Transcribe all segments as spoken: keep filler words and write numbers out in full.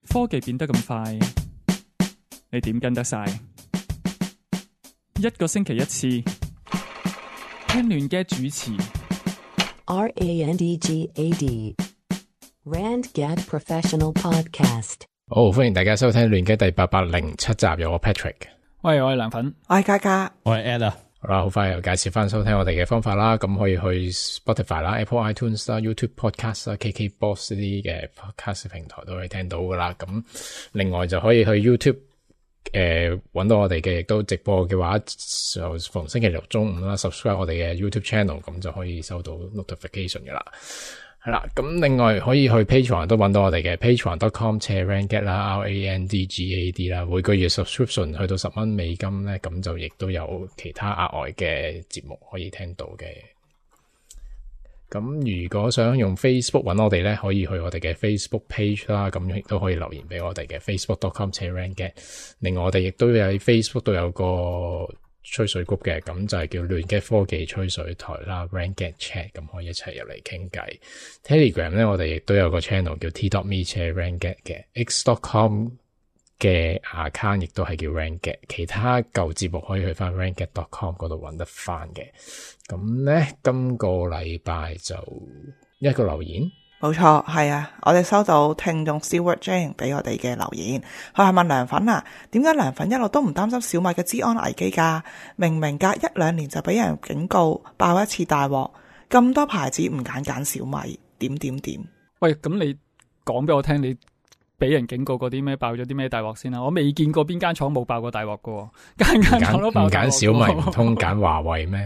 科技變得咁快，你點跟得晒？一個星期一次，聽亂嘅主持。R A N D G A D Randgad Professional Podcast。好，歡迎大家收聽亂嘅第八百零七集，有我 Patrick。喂，我係涼粉，我係嘉嘉，我係 Ed 啊。好啦，好快又介紹翻收聽我哋嘅方法啦。咁可以去 Spotify 啦、Apple iTunes 啦、YouTube Podcast 啦、K K Box 呢啲嘅 Podcast 平台都可以聽到噶啦。咁另外就可以去 YouTube 誒搵到我哋嘅，亦都直播嘅話就逢星期六中午啦 subscribe 我哋嘅 YouTube channel，咁就可以收到 notification 噶啦。係啦，咁另外可以去 Patreon 都搵到我哋嘅 patreon dot com 斜 Randgad 啦 ，R A N D G A D 啦，每個月 subscription 去到十蚊美金咧，咁就亦都有其他額外嘅節目可以聽到嘅。咁如果想用 Facebook 搵我哋咧，可以去我哋嘅 Facebook page 啦，咁亦都可以留言俾我哋嘅 facebook dot com 斜 Randgad。另外我哋亦都喺 Facebook 都有個吹水 group 嘅，咁就係叫亂嘅科技吹水台啦 Randgad Chat， 咁可以一齊入嚟傾偈。Telegram 咧，我哋亦都有個 channel 叫 t dot me 斜 Randgad 嘅 x dot com 嘅 account 亦都係叫 Randgad。其他舊節目可以去翻 randgad dot com 嗰度揾得翻嘅。咁咧，今個禮拜就一個留言。冇錯，係啊，我哋收到聽眾 Stewart Jane 俾我哋嘅留言，佢係問涼粉啊，點解涼粉一路都唔擔心小米嘅資安危機㗎？明明隔一兩年就俾人警告，爆一次大鑊，咁多牌子唔揀揀小米，點點點？喂，咁你講俾我聽，你俾人警告過啲咩？爆咗啲咩大鑊先啦？我未見過邊間廠冇爆過大鑊㗎，間間廠都爆大鑊。唔揀小米唔通揀華為咩？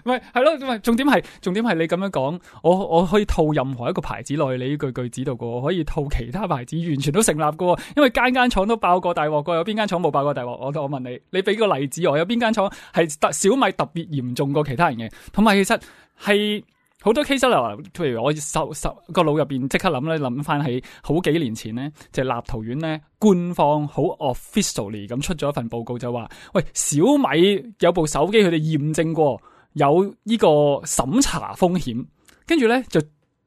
唔係，係咯，唔係重點係重點係你咁樣講，我我可以套任何一個牌子落去你呢句句子度嘅，我可以套其他牌子，完全都成立嘅，因為間間廠都爆過大鑊嘅，有邊間廠冇爆過大鑊？我我問你，你俾個例子我，有邊間廠係特小米特別嚴重過其他人嘅？同埋其實係好多 case 啦，譬如我手手個腦入邊即刻諗咧，諗翻起好幾年前咧，就係立陶宛咧官方好 officially 咁出咗一份報告，就話喂，小米有部手機佢哋驗證過有呢個審查風險，跟住咧就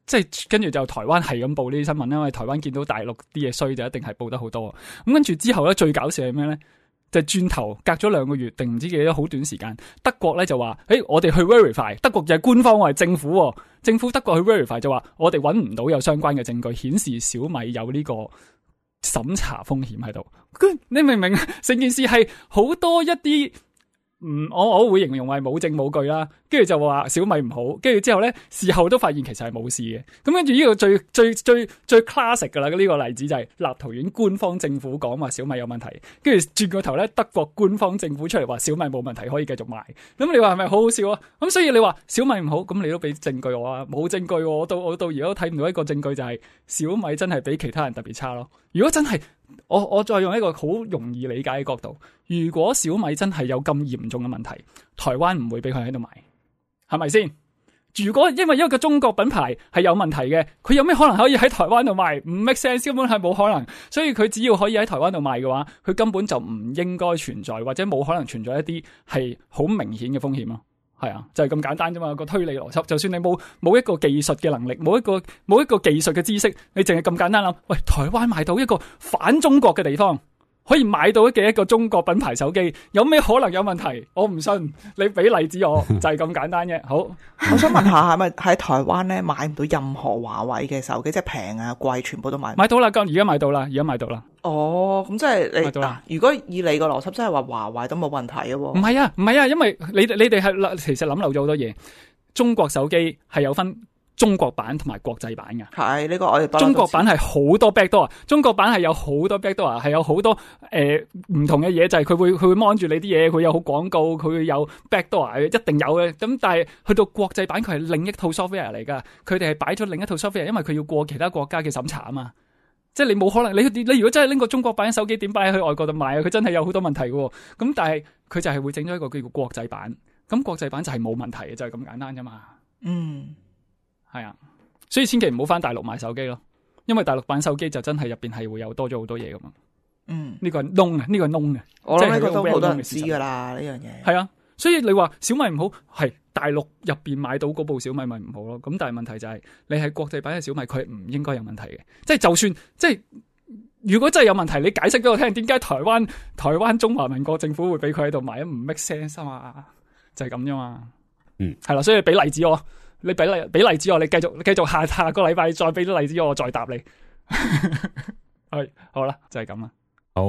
即係跟住就台灣係咁報呢啲新聞，因為台灣見到大陸啲嘢衰就一定係報得好多。咁跟住之後咧，最搞笑係咩咧？就轉頭隔咗兩個月定唔知幾多好短時間，德國咧就話，誒，我哋去 verify， 德國就係官方，我係政府，政府德國去 verify 就話，我哋揾唔到有相關嘅證據顯示小米有呢個審查風險喺度。你明唔明？成件事係好多一啲。嗯，我我會形容為冇證冇據啦，跟住就話小米唔好，跟住之後咧事後都發現其實係冇事嘅。咁跟住呢個最最最最 classic 噶啦，呢個例子就係立陶宛官方政府講話小米有問題，跟住轉個頭咧德國官方政府出嚟話小米冇問題可以繼續賣。咁你話係咪好好笑啊？咁所以你話小米唔好，咁你都俾證據我啊？冇證據，我到我到而家都睇唔到一個證據就係小米真係比其他人特別差咯。如果真係我我再用一個好容易理解嘅角度，如果小米真係有咁嚴重嘅問題，台灣唔會俾佢喺度賣，係咪先？如果因為一個中國品牌係有問題嘅，佢有咩可能可以喺台灣度賣？唔 make sense， 根本係冇可能。所以佢只要可以喺台灣度賣嘅話，佢根本就唔應該存在，或者冇可能存在一啲係好明顯嘅風險咯。係啊，就係咁簡單啫嘛，個推理邏輯。就算你冇冇一個技術嘅能力，冇一個冇一個技術嘅知識，你淨係咁簡單諗，喂，台灣買到一個反中國嘅地方，可以買到嘅一個中國品牌手機，有咩可能有問題？我唔信，你俾例子我，就係咁簡單啫。好，我想問下，係咪喺台灣咧買唔到任何華為嘅手機，即係平啊貴，全部都買唔到？買到啦，而家買到啦，而家買到啦。哦，咁即係你嗱，如果以你個邏輯，即係話華為都冇問題嘅喎。唔係啊，唔係啊，因為你你哋係其實諗漏咗好多嘢。中國手機係有分中國版同埋國際版嘅。係呢個我哋中國版係好多 backdoor， 中國版係有好多 backdoor， 係有好多誒唔同嘅嘢，就係佢會佢會 mon 住你啲嘢，佢有好廣告，佢會有 backdoor， 一定有嘅。咁但係去到國際版，佢係另一套 software 嚟噶，佢哋係擺咗另一套 software， 因為佢要過其他國家嘅審查啊嘛。即係你冇可能，你你如果真係拎個中國版手機點擺去外國度賣啊？佢真係有好多問題嘅。咁但係佢就係會整咗一個叫做國際版，咁國際版就係冇問題嘅，就係咁簡單啫嘛。嗯，係啊，所以千祈唔好翻大陸買手機咯，因為大陸版手機就真係入邊係會有多咗好多嘢噶嘛。嗯，呢個係窿啊，呢個係窿啊，我諗呢個都好多人嘅知噶啦呢樣嘢。係啊，所以你話小米唔好，係大陸入邊買到嗰部小米咪唔好咯。咁但係問題就係、是、你係國際版嘅小米，佢係唔應該有問題嘅。即係就算即係如果真係有問題，你解釋俾我聽，點解台灣台灣中華民國政府會俾佢喺度買？唔 make sense 啊嘛，就係咁啫嘛。嗯，係啦，所以俾例子我，你俾例俾例子我，你繼續繼續下下個禮拜再俾啲例子我，我再答你。係好啦，就係咁啦。好，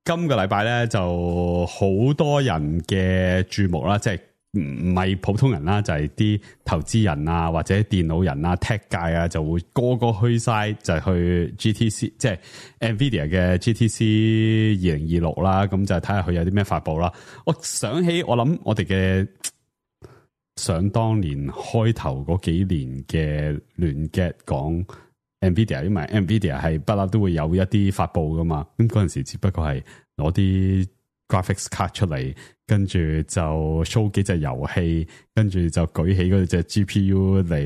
今個禮拜咧就好多人嘅注目啦，即係唔唔係普通人啦，就係、是、啲投資人啊或者電腦人啊 tech 界啊就會個個去晒就去 G T C， 即係 Nvidia 嘅 G T C 二零二六啦，咁就睇下佢有啲咩發佈啦。我想起我諗我哋嘅想當年開頭嗰幾年嘅亂 get 講 Nvidia， 因為 Nvidia 係不嬲都會有一啲發佈噶嘛，咁嗰陣時只不過係攞啲 graphics card 出嚟，跟住就 show 幾隻遊戲，跟住就舉起嗰隻 G P U 嚟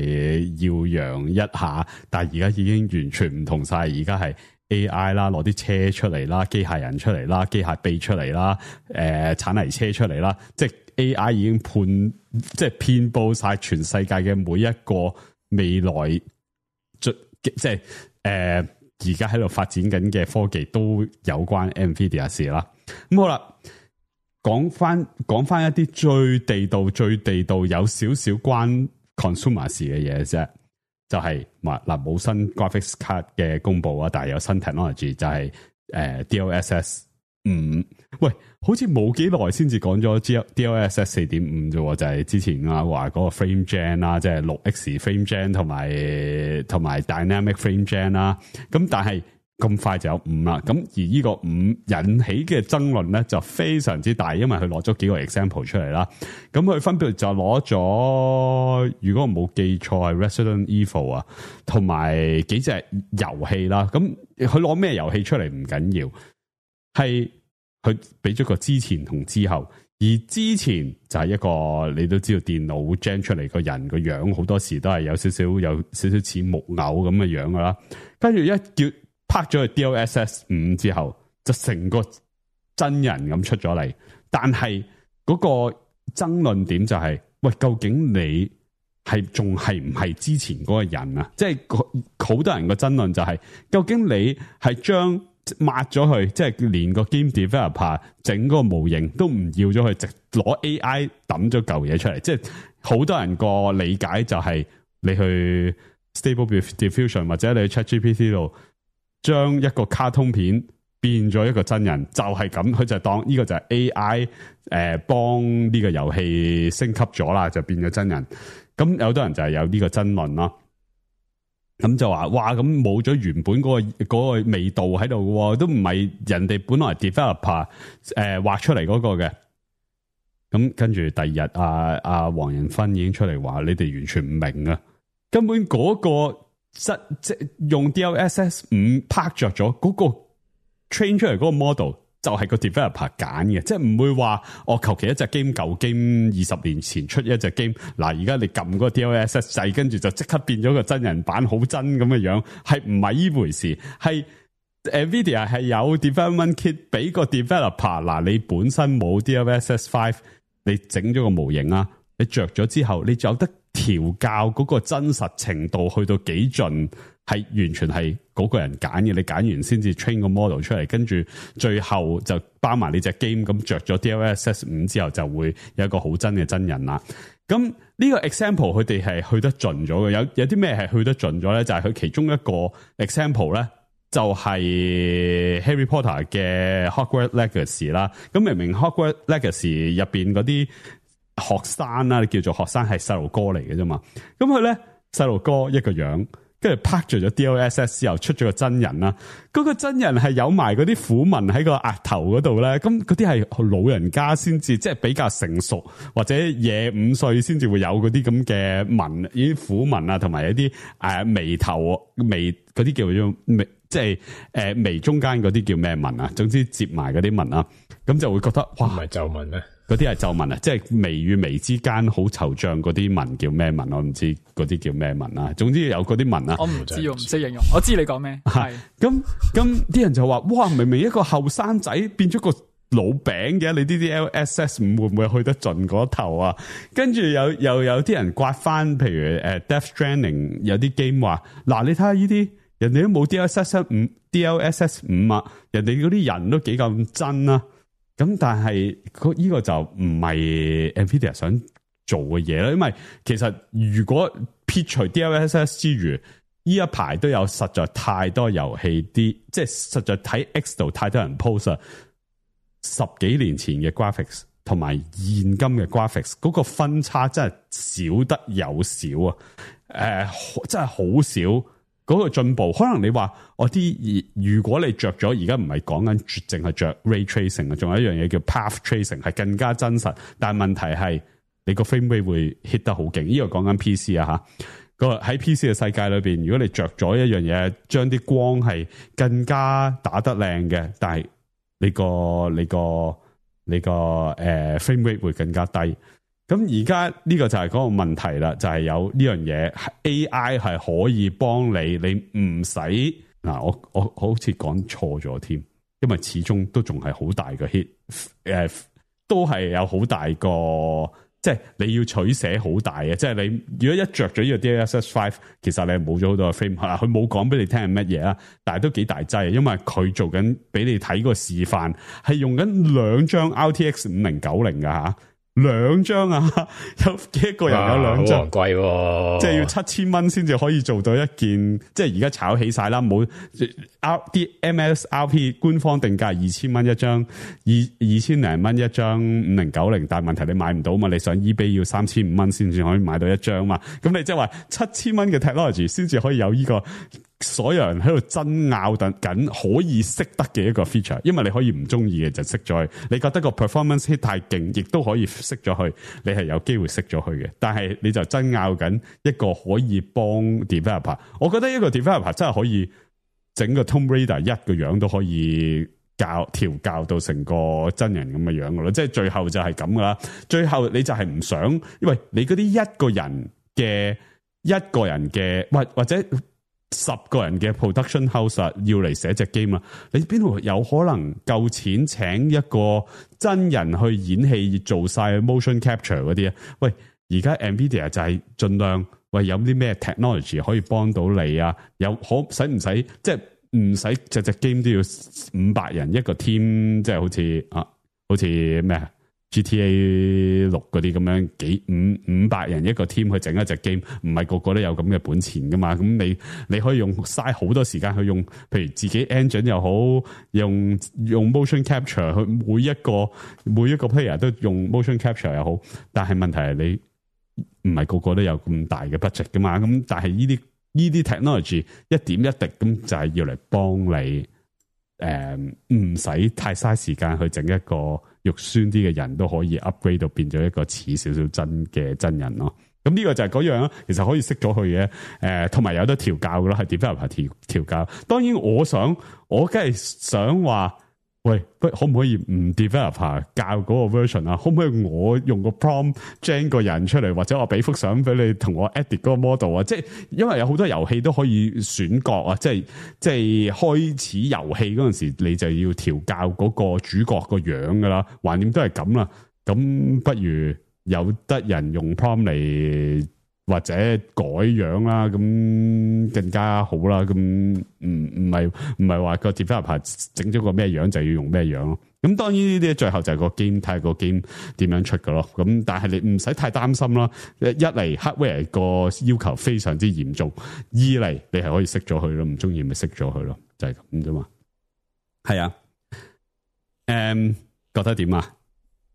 耀揚一下。但係而家已經完全唔同晒，而家係 A I 啦，攞啲車出嚟啦，機械人出嚟啦，機械臂出嚟啦，誒、呃，鏟泥車出嚟啦，即係 A I 已經判即係遍佈晒全世界嘅每一個未來，即係誒而家喺度發展緊嘅科技都有關 Nvidia 事啦。咁好啦，講翻講翻一啲最地道、最地道有少少關 consumer 事嘅嘢啫，就係嗱冇新 graphics card 嘅公布啊，但係有新 technology 就係、是、誒、呃、D L S S 五。喂，好似冇幾耐先至講咗 D L S S 四點五啫，就係、是、之前啊話嗰個 frame gen 啦，即係六 X frame gen 同埋同埋 dynamic frame gen 啦。咁但係咁快就有五啦，咁而呢個五引起嘅爭論咧就非常之大，因為佢攞咗幾個 example 出嚟啦。咁佢分別就攞咗，如果我冇記錯係 Resident Evil 啊，同埋幾隻遊戲啦。咁佢攞咩遊戲出嚟唔緊要，係佢俾咗個之前同之後。而之前就係一個你都知道電腦 gen 出嚟個人個樣，好多時都係有少少有少少似木偶咁嘅樣噶啦。跟住一叫拍咗去 D L S S 五之後，就成個真人咁出咗嚟。但係嗰個爭論點就係、是，喂，究竟你係仲係唔係之前嗰個人啊？即係好多人個爭論就係、是，究竟你係將抹咗佢，即係連個 game developer 整嗰個模型都唔要咗佢，直攞 A I 抌咗嚿嘢出嚟。即係好多人個理解就係，你去 Stable Diffusion 或者你去 ChatGPT 度，將一個卡通片變咗一個真人，就係、是、咁，佢就當呢個就係 A I 誒、呃、幫呢個遊戲升級咗啦，就變咗真人。咁有多人就係有呢個爭論啦。咁就話哇，咁冇咗原本嗰、那個、那個味道喺度嘅，都唔係人哋本來 developer 誒、呃、畫出嚟嗰個嘅。咁跟住第二日，阿阿黃仁勳已經出嚟話，你哋完全唔明啊，根本嗰、那個即係用 D L S S 五拍着咗嗰個 train 出嚟嗰個 model。就係個 developer 揀嘅，即係唔會話我求其一隻 game 舊 game 二十年前出一隻 game， 嗱而家你撳嗰個 D L S S 掣，跟住就即刻變咗個真人版，好真咁嘅樣，係唔係呢回事？係 Nvidia 係有 development kit 俾個 developer， 嗱你本身冇 D L S S 五，你整咗個模型啊，你着咗之後，你就有得調校嗰個真實程度去到幾盡。係完全係嗰個人揀嘅，你揀完先至 train 個 model 出嚟，跟住最後就包埋你隻 game，咁着咗 D L S S 五之後就會有一個好真嘅真人啦。咁呢個 example 佢哋係去得盡咗嘅，有有啲咩係去得盡咗咧？就係、是、佢其中一個 example 咧，就係 Harry Potter 嘅 Hogwarts Legacy 啦。咁明明 Hogwarts Legacy 入邊嗰啲學生啦，你叫做學生係細路哥嚟嘅啫嘛。咁佢咧細路哥一個樣。跟住拍咗咗 D L S S 之後出咗個真人啦，嗰、那個真人係有埋嗰啲虎紋喺個額頭嗰度咧，咁嗰啲係老人家先至，即係比較成熟或者廿五歲先至會有嗰啲咁嘅紋，呢啲虎紋啊，同埋一啲誒、呃、眉頭眉嗰啲叫做眉，即係誒眉中間嗰啲叫咩紋啊？總之接埋嗰啲紋啊，咁就會覺得哇，唔係皺紋咩？嗰啲係皺紋啊，即係眉與眉之間好惆悵嗰啲紋叫咩紋？我唔知嗰啲叫咩紋啊。總之有嗰啲紋啊，我唔知，我唔識形容。我知你講咩？係咁咁啲人就話：哇，明明一個後生仔變咗個老餅嘅，你啲 D L S S 五會唔會去得盡嗰頭啊？跟住又又有啲人刮翻，譬如誒 Death Stranding 有啲 game 話：嗱，你睇下呢啲人哋都冇 D L S S 五 D L S S 五啊，人哋嗰啲人都幾咁真啊。咁但係呢個就唔係 Nvidia 想做嘅嘢啦，因為其實如果撇除 D L S S 之餘，呢一排都有實在太多遊戲啲，即係實在睇 X 度太多人 post 啊，十幾年前嘅 graphics 同埋現今嘅 graphics 嗰個分差真係少得有少啊，誒、呃，真係好少。嗰個進步，可能你話我啲，如果你着咗，而家唔係講緊淨係着 ray tracing 啊，仲有一樣嘢叫 path tracing，係更加真實。但係問題係你個 frame rate 會 hit 得好勁。呢、這個講緊 P C 啊嚇，個喺 P C 嘅世界裏邊，如果你着咗一樣嘢，將啲光係更加打得靚嘅，但係你個你個你個誒、呃、frame rate 會更加低。咁而家呢個就係嗰個問題啦，就係、是、有呢樣嘢 A I 係可以幫你，你唔使嗱，我我好似講錯咗添，因為始終都仲係好大個 hit，誒、呃，都係有好大個，即係你要取捨好大嘅，即係你如果一着咗呢個 D L S S 五，其實你係冇咗好多個 frame，佢冇講俾你聽係乜嘢啊，但係都幾大劑，因為佢做緊俾你睇個示範，係用緊兩張 R T X 五零九零噶吓。兩張啊，有幾個人有兩張，好昂貴，即係要七千蚊先至可以做到一件，即係而家炒起晒啦，冇 R 啲 M S R P 官方定價二千蚊一張，二二千零蚊一張五零九零，但係問題你買唔到嘛，你上 eBay 要三千五蚊先至可以買到一張嘛，咁你即係話七千蚊嘅 technology 先至可以有呢個。所有人喺度爭拗等緊可以識得嘅一個 feature，因為你可以唔中意嘅就熄咗佢，你覺得個 performance hit 太勁，亦都可以熄咗佢，你係有機會熄咗佢嘅。但係你就爭拗緊一個可以幫 developer， 我覺得一個 developer 真係可以整個 Tomb Raider 一個樣都可以教調教到成個真人咁嘅樣噶咯，即係最後就係咁噶啦。最後你就係唔想，因為你嗰啲一個人嘅一個人嘅或或者。十個人嘅 production house 要嚟寫隻 game 啊，你邊度有可能夠錢請一個真人去演戲做晒 motion capture 嗰啲啊？喂，而家 Nvidia 就係盡量喂有啲咩 technology 可以幫到你啊？有可使唔使即係唔使隻隻 game 都要五百人一個 team， 即係好似啊，好似咩啊？G T A 六嗰啲咁樣幾五五百人一個 team 去整一隻 game， 唔係個個都有咁嘅本錢噶嘛？咁你你可以用嘥好多時間去用，譬如自己 engine 又好，用用 motion capture 去每一個每一個 player 都用 motion capture 又好，但係問題係你唔係個個都有咁大嘅 budget 噶嘛？咁但係呢啲呢啲 technology 一點一滴咁就係要嚟幫你。誒，唔使、um, 太嘥時間去整一個肉酸啲嘅人都可以 upgrade 到變咗一個似少少真嘅真人咯。咁呢個就係嗰樣，其實可以熄咗佢嘅。誒、呃，同埋有得調教噶咯，係 developer 調調教。當然，我想我梗係想話，喂，不可唔可以唔 developer 教嗰個 version 啊？可唔可以我用個 prompt gen 個人出嚟，或者我俾幅相俾你同我 edit 嗰個 model 啊？即係因為有好多遊戲都可以選角啊，即係即係開始遊戲嗰陣時，你就要調教嗰個主角個樣噶啦，橫掂都係咁啦。咁不如有得人用 prompt 嚟或者改樣啦，咁更加好啦。咁唔唔係唔係話個 developer 整咗個咩樣就要用咩樣咯。咁當然呢啲最後就係個 game 睇個 game 點樣出噶咯。咁但係你唔使太擔心啦。一嚟 hardware 個要求非常之嚴重，二嚟你係可以熄咗佢咯，唔中意咪熄咗佢咯，就係咁啫嘛。係啊，誒、um, 覺得點啊？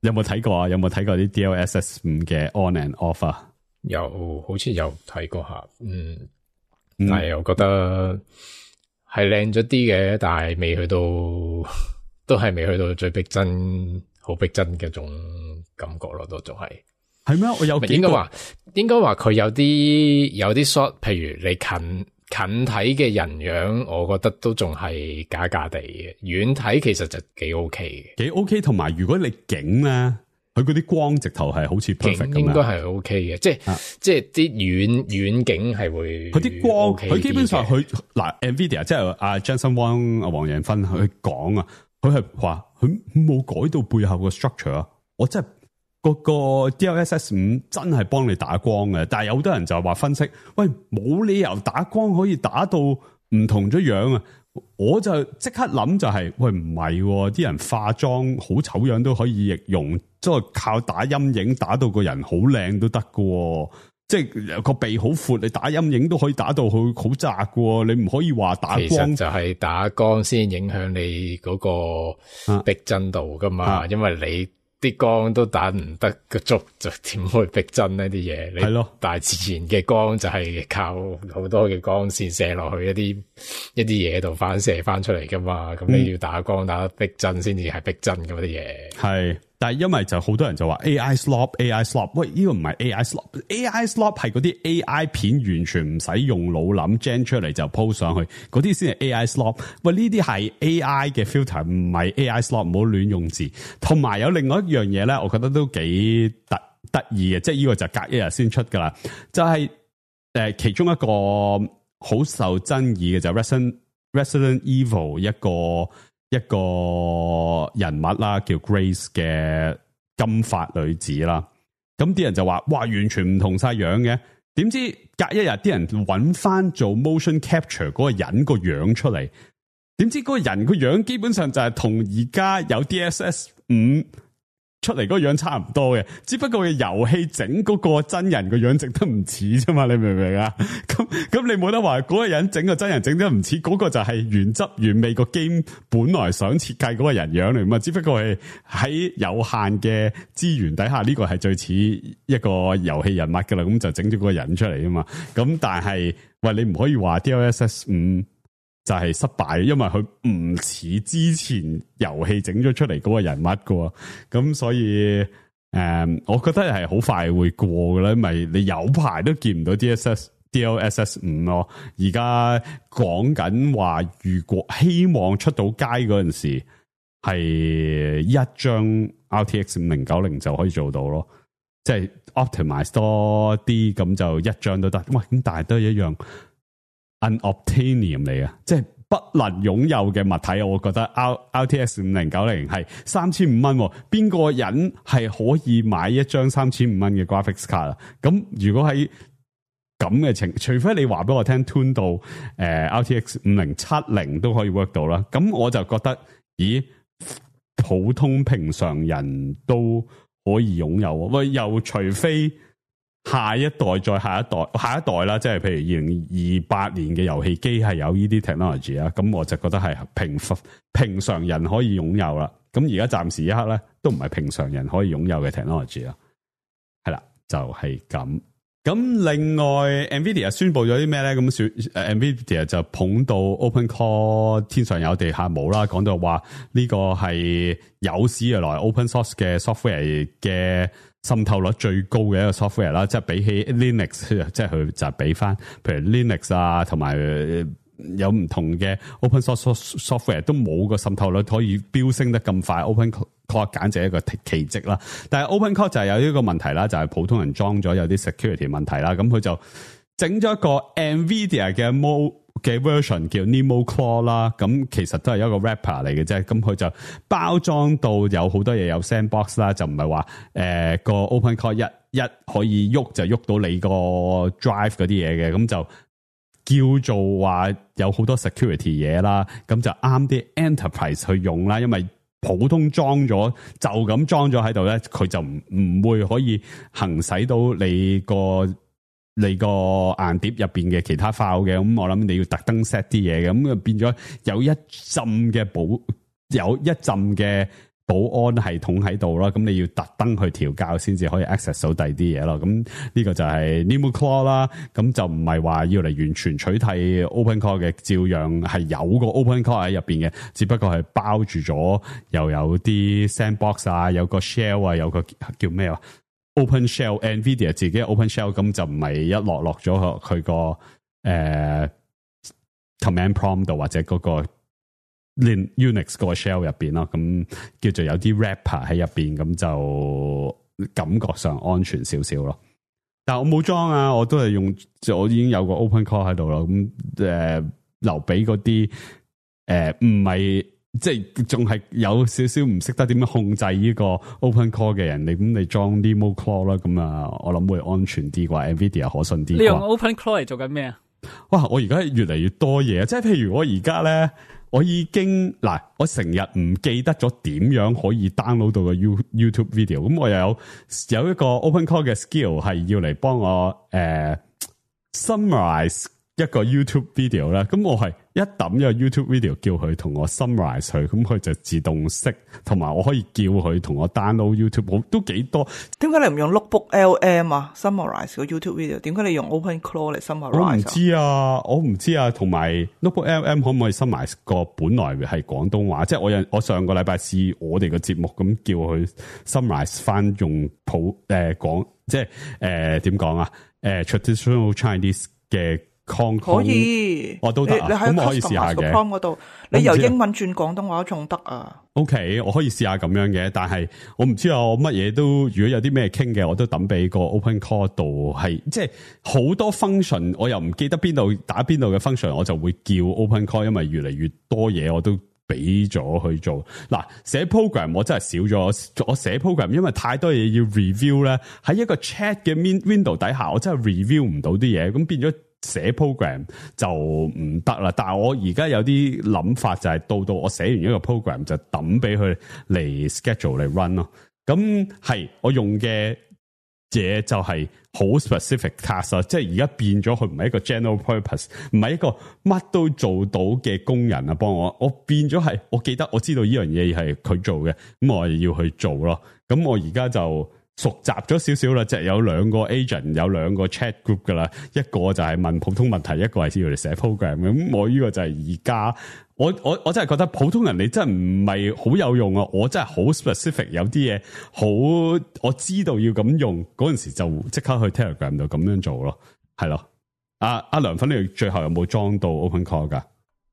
有冇睇過啊？有冇睇過啲 D L S S 五嘅 on and off 啊？有，好似有睇過下，嗯，但係我覺得係靚咗啲嘅，但係未去到，都係未去到最逼真、好逼真嘅種感覺咯，都仲係。係咩？我有幾個應該話，應該話佢有啲有啲 shot，譬如你近近睇嘅人樣，我覺得都仲係假假地嘅，遠睇其實就幾 OK 嘅，幾 OK。同埋如果你景咧。佢嗰啲光直頭係好似 perfect 咁樣，應該係 OK 嘅，即係、啊、即係啲遠遠景係會。佢啲光，佢基本上佢嗱 Nvidia 即係阿 Jensen Huang 阿黃仁勳佢講啊，佢係話佢冇改到背後個 structure 啊，我真係個個 D L S S 五真係幫你打光嘅，但係有好多人就話分析，喂冇理由打光可以打到唔同咗樣啊！我就即刻諗就係、是，喂唔係，啲、啊、人化妝好醜樣都可以易容，即係靠打陰影打到個人好靚都得㗎，即係個鼻好闊，你打陰影都可以打到佢好窄㗎，你唔可以話打光。其實就係打光先影響你嗰個逼真度噶嘛，啊、因為你啲光都打唔得個足，就點會逼真呢啲嘢？係咯，大自然嘅光就係靠好多嘅光線射落去一啲一啲嘢度反射翻出嚟噶嘛。咁、嗯、你要打光打得逼真先至係逼真噶啲嘢。係，但係因為就好多人就話 A I slop，A I slop， 喂呢、這個唔係 A I slop，A I slop 係嗰啲 A I 片完全唔使用腦諗 gen 出嚟就 post 上去，嗰啲先係 A I slop。喂呢啲係 A I 嘅 filter， 唔係 A I slop， 唔好亂用字。同埋有另外一樣嘢咧，我覺得都幾得得意嘅，即係呢個就隔一日先出噶啦，就係、是、誒、呃、其中一個好受爭議嘅就係 Resident Resident Evil 一個。一個人物啦，叫 Grace 嘅金髮女子啦，咁啲人就話，哇，完全唔同晒樣嘅，點知隔一日啲人揾翻做 motion capture 嗰個人個樣出嚟，點知嗰個人個樣基本上就係同而家有 D S S 五出嚟嗰個樣差唔多嘅，只不過嘅遊戲整嗰個真人個樣整得唔似啫嘛，你明唔明啊？咁咁你冇得話嗰個人整個真人整得唔似，嗰、嗰個就係原汁原味個 game 本來想設計嗰個人樣嚟嘛，只不過係喺有限嘅資源底下，呢、呢個係最似一個遊戲人物噶啦，咁就整咗嗰個人出嚟啊嘛。咁但係喂，你唔可以話 D L S S 五。就係失敗，因為佢唔似之前遊戲整咗出嚟嗰個人物噶，咁所以誒、嗯，我覺得係好快會過嘅啦，因為你有排都見唔到 D S S D L S S 五咯。而家講緊話，如果希望出到街嗰陣時，係一張 R T X 五零九零就可以做到咯，即係 optimize 多啲，咁就一張都得。喂，咁但係都係一樣。Unobtainium 嚟啊，即係不能擁有嘅物體，我覺得 R T X 五零九零係三千五蚊，邊個人係可以買一張三千五蚊嘅 graphics card 啊？咁如果喺咁嘅情，除非你話俾我聽 tune 到誒、呃、R T X 五零七零都可以 work 到啦，咁我就覺得，咦，普通平常人都可以擁有，喂，又除非。下一代再下一代下一代啦，即係譬如二零二八年嘅遊戲機係有呢啲 technology 啦，咁我就覺得係平平常人可以擁有啦。咁而家暫時一刻咧，都唔係平常人可以擁有嘅 technology 啦。係啦，就係咁。咁另外 Nvidia 宣布咗啲咩咧？咁誒 Nvidia 就捧到 OpenCore 天上有地下冇啦，講到話呢個係有史以來 open source 嘅 software 嘅滲透率最高嘅一個 software 啦，即係比起 Linux， 即係佢就係比翻，譬如 Linux 啊，同埋有唔同嘅 open source software 都冇個滲透率可以飆升得咁快 ，OpenCore 簡直係一個奇蹟啦。但係 OpenCore 就係有呢個問題啦，就係、是、普通人裝咗有啲 security 問題啦，咁佢就整咗一個 Nvidia 嘅 Mo 嘅 version 叫 NemoClaw 啦，咁其實都係一個 wrapper 嚟嘅啫，咁佢就包裝到有好多嘢有 sandbox 啦，就唔係話誒個 OpenCore 一一可以喐就喐到你個 drive 嗰啲嘢嘅，咁就叫做話有好多 security 嘢啦，咁就啱啲 enterprise 去用啦，因為普通裝咗就咁裝咗喺度咧，佢就唔唔會可以行使到你個。你個硬碟入邊嘅其他 file 嘅，咁我諗你要特登 set 啲嘢嘅，咁就變咗有一浸嘅保，有一浸嘅保安系統喺度啦，咁你要特登去調校先至可以 access 到第二啲嘢咯。咁呢個就係 NemoClaw 啦，咁就唔係話要嚟完全取替 OpenCore 嘅，照樣係有個 OpenCore 喺入邊嘅，只不過係包住咗又有啲 sandbox 啊，有個 shell 啊，有個叫咩啊？Open Shell Nvidia 自己 Open Shell 咁就唔係一落落咗佢個誒 command prompt 度或者嗰個 Unix 個 shell 入邊咯，咁叫做有啲 wrapper 喺入邊，咁就感覺上安全少少咯。但係我冇裝啊，我都係用，我已經有個 Open Core 喺度啦，咁誒、呃、留俾嗰啲誒唔係。即係仲係有少少唔識得點樣控制呢個 Open Core 嘅人，你咁你裝 NemoClaw 啦，咁啊，我諗會安全啲啩 ，Nvidia 可信啲。你用 Open Core 嚟做緊咩啊？哇！我而家越嚟越多嘢，即係譬如我而家咧，我已經嗱，我成日唔記得咗點樣可以 download 到個 YouTube video，咁我又有有一個 OpenCore 嘅 skill 係要嚟幫我誒、呃、summarize 一個 YouTube video 啦，咁我係一抌一個 YouTube video 叫佢同我 summarize 佢，咁佢就自動識，同埋我可以叫佢同我 download YouTube， 都幾多。點解你唔用 Notebook L M 啊 ？summarize 個 YouTube video？點解你用 OpenClaw 嚟 summarize？我唔知啊，我唔知啊。同埋 Notebook L M 可唔可以 summarize 個本來係廣東話？即係我有我上個禮拜試我哋個節目咁叫佢 summarize 翻用普誒講，即係誒點講啊？誒、呃、traditional Chinese 嘅。可以，我都得啊，咁我可以試下嘅。嗰度，你由英文轉廣東話仲得啊 ？OK， 我可以試下咁樣嘅，但係我唔知啊，我乜嘢都如果有啲咩傾嘅，我都抌俾個 OpenCore 度，係即係好多 function， 我又唔記得邊度打邊度嘅 function， 我就會叫 OpenCore， 因為越嚟越多嘢我都俾咗去做。嗱，寫 program 我真係少咗，我寫 program 因為太多嘢要 review 咧，喺一個 chat 嘅 window 底下，我真係 review 唔到啲嘢，咁變咗。寫 program 就唔得啦，但係我而家有啲諗法就係到到我寫完一個 program 就抌俾佢嚟 schedule 嚟 run 咯。咁係我用嘅嘢就係好 specific task 啊，即係而家變咗佢唔係一個 general purpose， 唔係一個乜都做到嘅工人啊幫我，我變咗係我記得我知道呢樣嘢係佢做嘅，咁我要去做咯。咁我而家就。熟習咗少少啦，即係有兩個 agent， 有兩個 chat group 噶啦，一個就係問普通問題，一個係要嚟寫 program。咁我呢個就係而家，我我我真係覺得普通人你真係唔係好有用啊！我真係好 specific， 有啲嘢好我知道要咁用，嗰陣時就即刻去 Telegram 度咁樣做咯，係咯。阿阿梁粉，你最後有冇裝到 OpenCore 噶？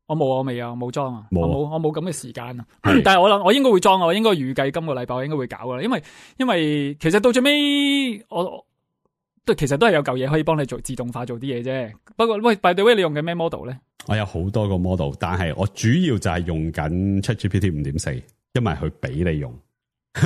我冇啊，我未啊，冇裝啊，冇，我冇，我冇咁嘅時間啊。但係我諗，我應該會裝啊，我應該預計今個禮拜我應該會搞噶，因為因為其實到最尾，我都其實都係有嚿嘢可以幫你做自動化做啲嘢啫。不過喂 ，by the way，你用嘅咩 model 咧？我有好多個 model， 但係我主要就係用緊 ChatGPT 五點四，因為佢俾你用。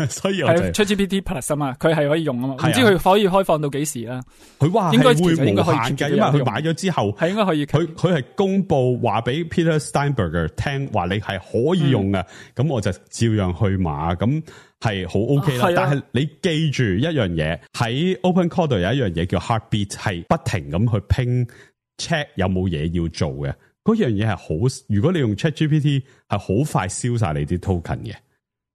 所以我就係 ChatGPT Plus 啊嘛，佢係可以用啊嘛，唔知佢可以開放到幾時啦？佢話應該會無限應該可以嘅，因為佢買咗之後係應該可以。佢佢係公布話俾 Peter Steinberger 聽，話你係可以用嘅，咁、嗯、我就照樣去買，咁係好 OK 啦。啊、但係你記住一樣嘢，喺 OpenCore 度有一樣嘢叫 Heartbeat， 係不停咁去拼 check 有冇嘢要做嘅。嗰樣嘢係好，如果你用 ChatGPT 係好快燒晒你啲 token 嘅，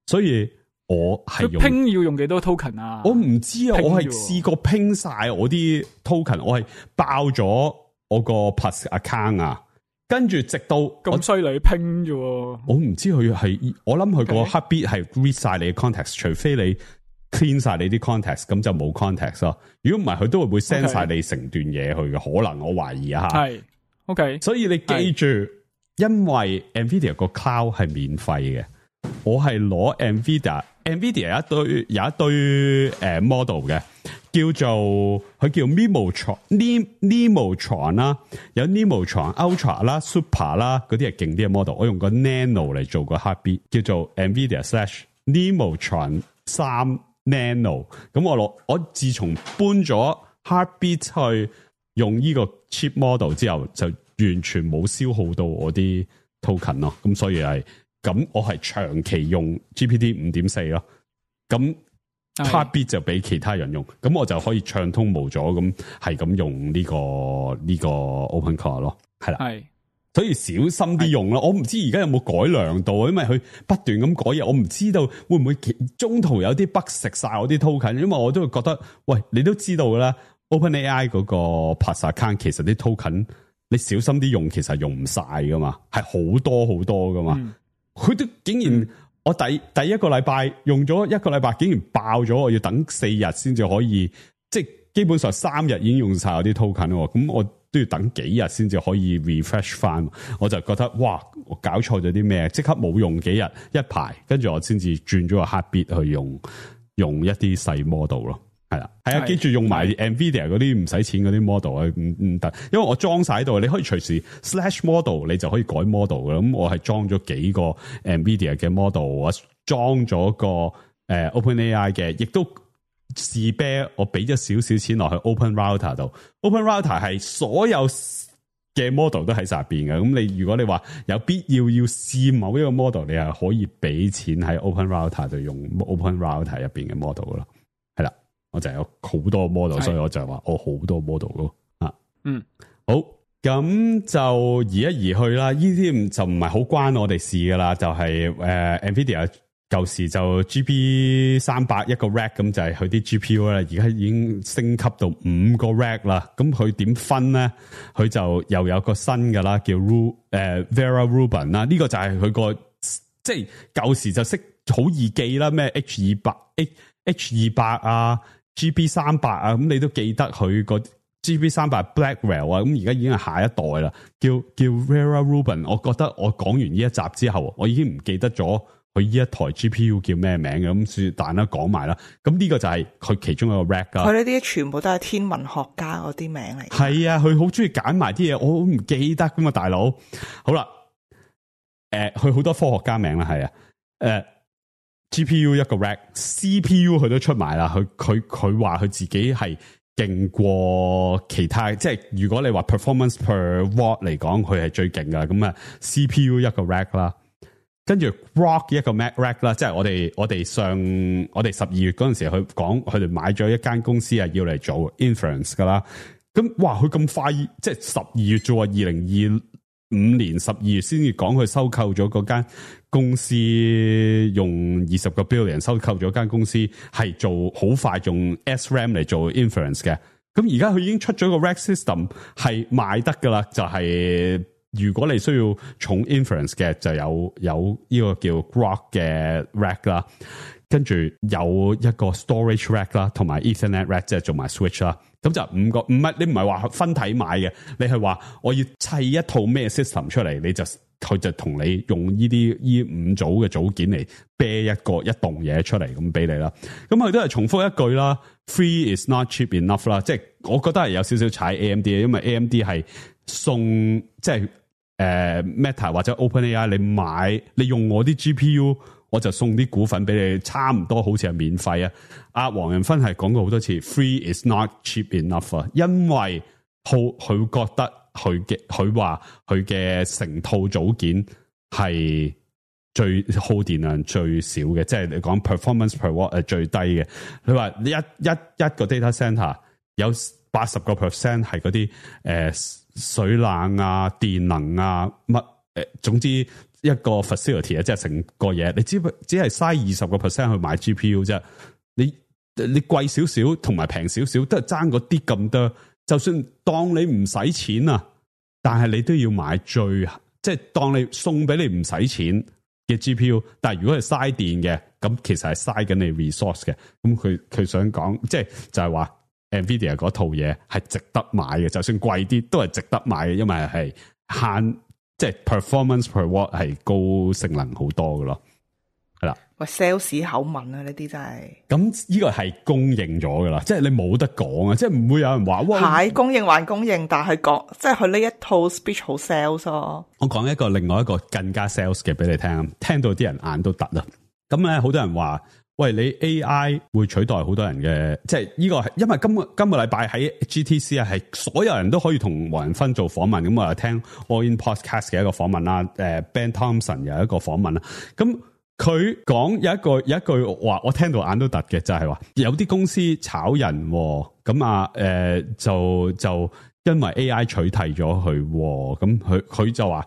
所以。我係用拼要用幾多 token 啊？我唔知啊，我係試過拼晒我啲 token， 我係爆咗我個 Plus account 啊，跟住直到咁犀利拼啫。我唔知佢係，我諗佢個 Heartbeat 係 read 晒你嘅 context， 除非你 clean 晒你啲 context， 咁就冇 context 咯。如果唔係，佢都會會 send 晒你成段嘢去嘅，可能我懷疑啊吓。係 ，OK。所以你記住，因為 Nvidia 個 cloud 係免費嘅。我係攞 Nvidia，Nvidia 有一堆有一堆誒 model 嘅，叫做佢叫 Nemotron，Nemotron 啦，有 Nemotron Ultra 啦、Super 啦，嗰啲係勁啲嘅 model。我用個 Nano 嚟做個 Heartbeat，叫做 Nvidia slash Nemotron 三 Nano。咁我攞我自從搬咗 Heartbeat 去用呢個 cheap model 之後，就完全冇消耗到我啲 token 咯。咁所以係。咁我係長期用 G P T 五點四 咯，咁 Heartbeat 就俾其他人用，咁我就可以暢通無阻咁係咁用呢、這個呢、這個 OpenCore 咯，係啦，係，所以小心啲用咯。我唔知而家有冇改良到，因為佢不斷咁改嘢，我唔知道會唔會中途有啲 bug 食晒我啲 token，因為我都會覺得，喂，你都知道噶啦 ，OpenAI 嗰個 Plus account 其實啲 token 你小心啲用，其實用唔晒噶嘛，係好多好多噶嘛。嗯佢都竟然，我第第一個禮拜用咗一個禮拜，竟然爆咗，我要等四日先至可以，即係基本上三日已經用晒我啲 token 喎，咁我都要等幾日先至可以 refresh 翻，我就覺得哇，我搞錯咗啲咩？即刻冇用幾日一排，跟住我先至轉咗個 Heartbeat 去用，用一啲細 model 咯。係啦，係啊，記住用埋 Nvidia 嗰啲唔使錢嗰啲 model 啊，唔唔得，因為我裝晒喺度，你可以隨時 slash model， 你就可以改 model 噶。咁我係裝咗幾個 Nvidia 嘅 model， 我裝咗個誒 OpenAI 嘅，亦都試啤，我俾咗少少錢落去 Open Router 度。Open Router 係所有嘅 model 都喺晒入邊嘅。咁你如果你話有必要要試某一個 model， 你係可以俾錢喺 Open Router 度用 Open Router 入邊嘅 model 咯。係啦，我就有好多 model， 所以我就話我好多 model 咯。啊，嗯，好，咁就移一移去啦。呢啲就唔係好關我哋事噶啦，就係、是、誒、呃、Nvidia。舊時就 G B 三百一個 rack 咁就係佢啲 G P U 啦，而家已經升級到五個 rack 啦。咁佢點分咧？佢就又有個新噶啦，叫 Ru 誒 Vera Rubin 啦。呢個就係佢個即係舊時就識好易記啦，咩 H 二百 H H 二百啊 ，G B 三百啊，咁你都記得佢個 G B 三百 Blackwell 啊。咁而家已經係下一代啦，叫叫 Vera Rubin。我覺得我講完呢一集之後，我已經唔記得咗。佢呢一台 G P U 叫咩名嘅？咁算但啦，講埋啦。咁呢個就係佢其中一個 rack 啦。佢呢啲全部都係天文學家嗰啲名嚟。係啊，佢好中意揀埋啲嘢，我好唔記得噶嘛，大佬。好啦，誒、呃，佢好多科學家名啦，係啊，誒、呃、，G P U 一個 rack，C P U 佢都出埋啦。佢佢佢話佢自己係勁過其他，即係如果你話 performance per watt 嚟講，佢係最勁噶。咁啊 ，C P U 一個 rack 啦。跟住 Rock 一個 Mac Rack 啦，即係我哋我哋上我哋十二月嗰陣時去講，佢哋買咗一間公司啊，要嚟做 inference 噶啦。咁哇，佢咁快，即係十二月啫喎，二零二五年十二月先至講佢收購咗嗰間公司，用二十個 billion 收購咗間公司，係做好快用 S RAM 嚟做 inference 嘅。咁而家佢已經出咗個 Rack system 係賣得噶啦，就係、是。如果你需要重 inference 嘅，就有有呢個叫 Grok 嘅 rack 啦，跟住有一個 storage rack 啦，同埋 Ethernet rack 即係做埋 switch 啦。咁就五個，唔係你唔係話分體買嘅，你係話我要砌一套咩 system 出嚟，你就佢就同你用呢啲呢五組嘅組件嚟啤一個一棟嘢出嚟咁俾你啦。咁佢都係重複一句啦 ，Free is not cheap enough 啦，即係我覺得係有少少踩 A M D 嘅，因為 A M D 係送即係。誒、uh, Meta 或者 OpenAI， 你買你用我啲 G P U， 我就送啲股份俾你，差唔多好似係免費啊！阿黃仁勳係講過好多次 ，Free is not cheap enough 啊，因為佢佢覺得佢嘅佢話佢嘅成套組件係最耗電量最少嘅，即係你講 performance per watt 係最低嘅。佢話一一一個 data center 有八十個 percent 係嗰啲誒。水冷啊、電能啊、乜誒，總之一個 facility 啊，即係成個嘢，你只只係嘥二十個 percent 去買 G P U 啫。你你貴少少同埋平少少，都係爭嗰啲咁多。就算當你唔使錢啊，但係你都要買最，即係當你送俾你唔使錢嘅 G P U。但係如果係嘥電嘅，咁其實係嘥緊你 resource 嘅。咁佢佢想講，即係就係話。Nvidia 嗰套嘢係值得買嘅，就算貴啲都係值得買嘅，因為係慳，即係 performance per watt 係高性能好多嘅咯，係啦。喂 ，sales 口吻啊，呢啲真係。咁呢個係公認咗噶啦，即係你冇得講啊，即係唔會有人話哇。係公認還公認，但係講即係佢呢一套 speech 好 sales 咯。我講一個另外一個更加 sales 嘅俾你聽，聽到啲人眼都突啦。咁咧，好多人話。喂，你 A I 會取代好多人嘅，即係呢個係因為今個今個禮拜喺 G T C 啊，係所有人都可以同黃仁勳做訪問，咁我又聽 All In Podcast 嘅一個訪問啦，誒 Ben Thompson 有一個訪問啦，咁佢講有一個有一句話，我聽到眼都突嘅，就係話有啲公司炒人，咁啊誒就就因為 A I 取締咗佢，咁佢佢就話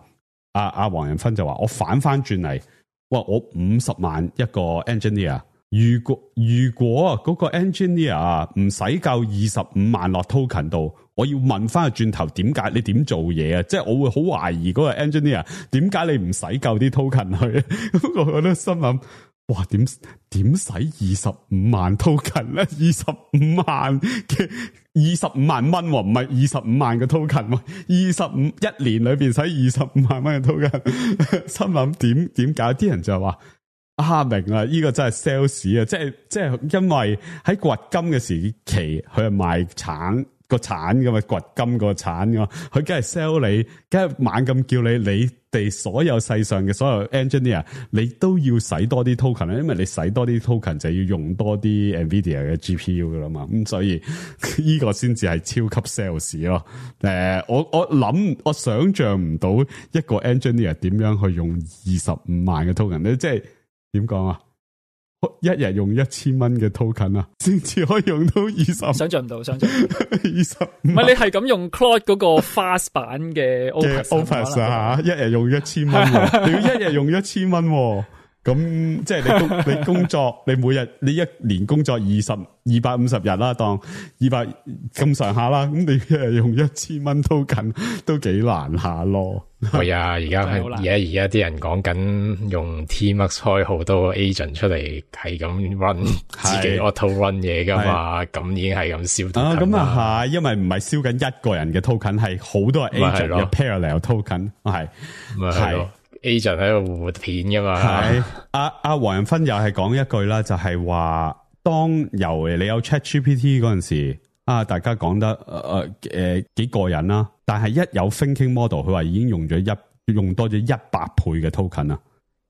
阿阿黃仁勳就話我反翻轉嚟，哇我五十萬一個 engineer。如果如果嗰個 engineer 唔使夠二十五萬落 token 度，我要問翻個轉頭，點解你點做嘢啊？即係我會好懷疑嗰個 engineer 點解你唔使夠啲 token 去？我都心諗，哇，點點使二十五萬 token 咧？二十五萬嘅二十五萬蚊，唔係二十五萬嘅 token，二十五一年裏邊使二十五萬蚊嘅 token， 心諗點點解？啲人就話。啊明啦，呢、這個真係 sales 啊，即係即係因為喺掘金嘅時期，佢係賣橙，個鏟噶嘛，掘金個鏟噶嘛，佢梗係 sell 你，梗係猛咁叫你，你哋所有世上嘅所有 engineer， 你都要使多啲 token 啦，因為你使多啲 token 就要用多啲 Nvidia 嘅 G P U 噶啦嘛，咁所以呢個先至係超級 sales 咯。誒、呃，我我諗我想象唔到一個 engineer 點樣去用二十五萬嘅 token 咧，即係點講啊？一日用一千蚊嘅 token 啊，先至可以用到二十，想象唔到，想象唔到二十。唔係你係咁用 Claude 嗰個 fast 版嘅 Opus Opus 啊，一日用一千蚊，你要一日用一千蚊，咁即係你工你工作，你每日你一年工作二十二百五十日啦，當二百咁上下啦，咁你一日用一千蚊 token都幾難下咯。係啊，而家而家而家啲人講緊用 T-Mux 開好多 agent 出嚟，係咁 run 自己 auto run 嘢噶嘛，咁已經係咁燒 token 啦。咁啊係，因為唔係燒緊一個人嘅 token， 係好多 agent 嘅 parallel token， 係係 agent 喺度活片噶嘛。係阿阿黃仁勳又係講一句啦，就係話當由你有 ChatGPT 嗰陣時。啊！大家講得誒誒、呃、幾過癮啦，但係一有 thinking model， 佢話已經用咗一用多咗一百倍嘅 token 啦。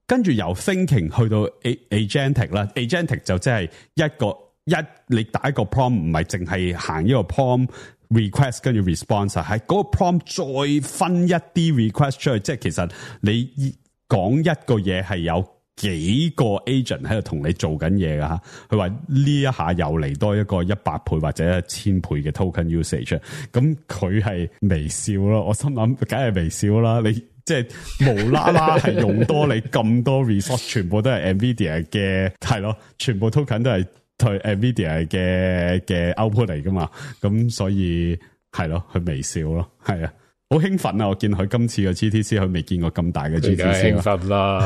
跟住由 thinking 去到 agentic 啦 ，agentic 就即係一個一你打一個 prompt， 唔係淨係行一個 prompt request 跟住 response， 係嗰個 prompt 再分一啲 request 出去，即係其實你講一個嘢係有幾個 agent 喺度同你做緊嘢噶吓，佢話呢一下又嚟多一個一百倍或者一千倍嘅 token usage， 咁佢係微笑咯，我心諗梗係微笑啦，你即係無啦啦係用多你咁多 resource， 全部都係 Nvidia 嘅，係咯，全部 token 都係對 Nvidia 嘅嘅 output 嚟噶嘛，咁所以係咯，佢微笑咯，係啊。好興奮啊！我見佢今次嘅 G T C， 佢未見過咁大嘅 G T C。興奮啦，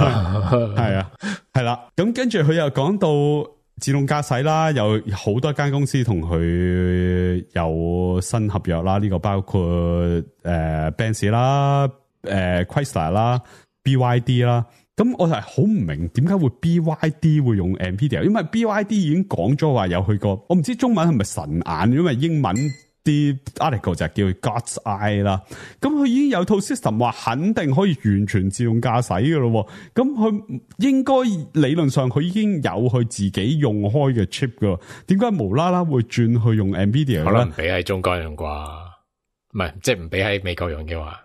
係啊，係啦。咁跟住佢又講到自動駕駛啦，有好多間公司同佢有新合約啦。呢、這個包括誒、呃、Benz 啦、誒、呃、Chrysler 啦、B Y D 啦。咁我係好唔明點解會 B Y D 會用 Nvidia， 因為 B Y D 已經講咗話有去過，我唔知中文係咪神眼，因為英文。啲 article 就叫 God's Eye 啦，咁佢已經有套 system 話肯定可以完全自動駕駛嘅咯，咁佢應該理論上佢已經有佢自己用開嘅 chip 噶，點解無啦啦會轉去用 Nvidia 咧？可能唔俾喺中國用啩，唔係即係唔俾喺美國用嘅話，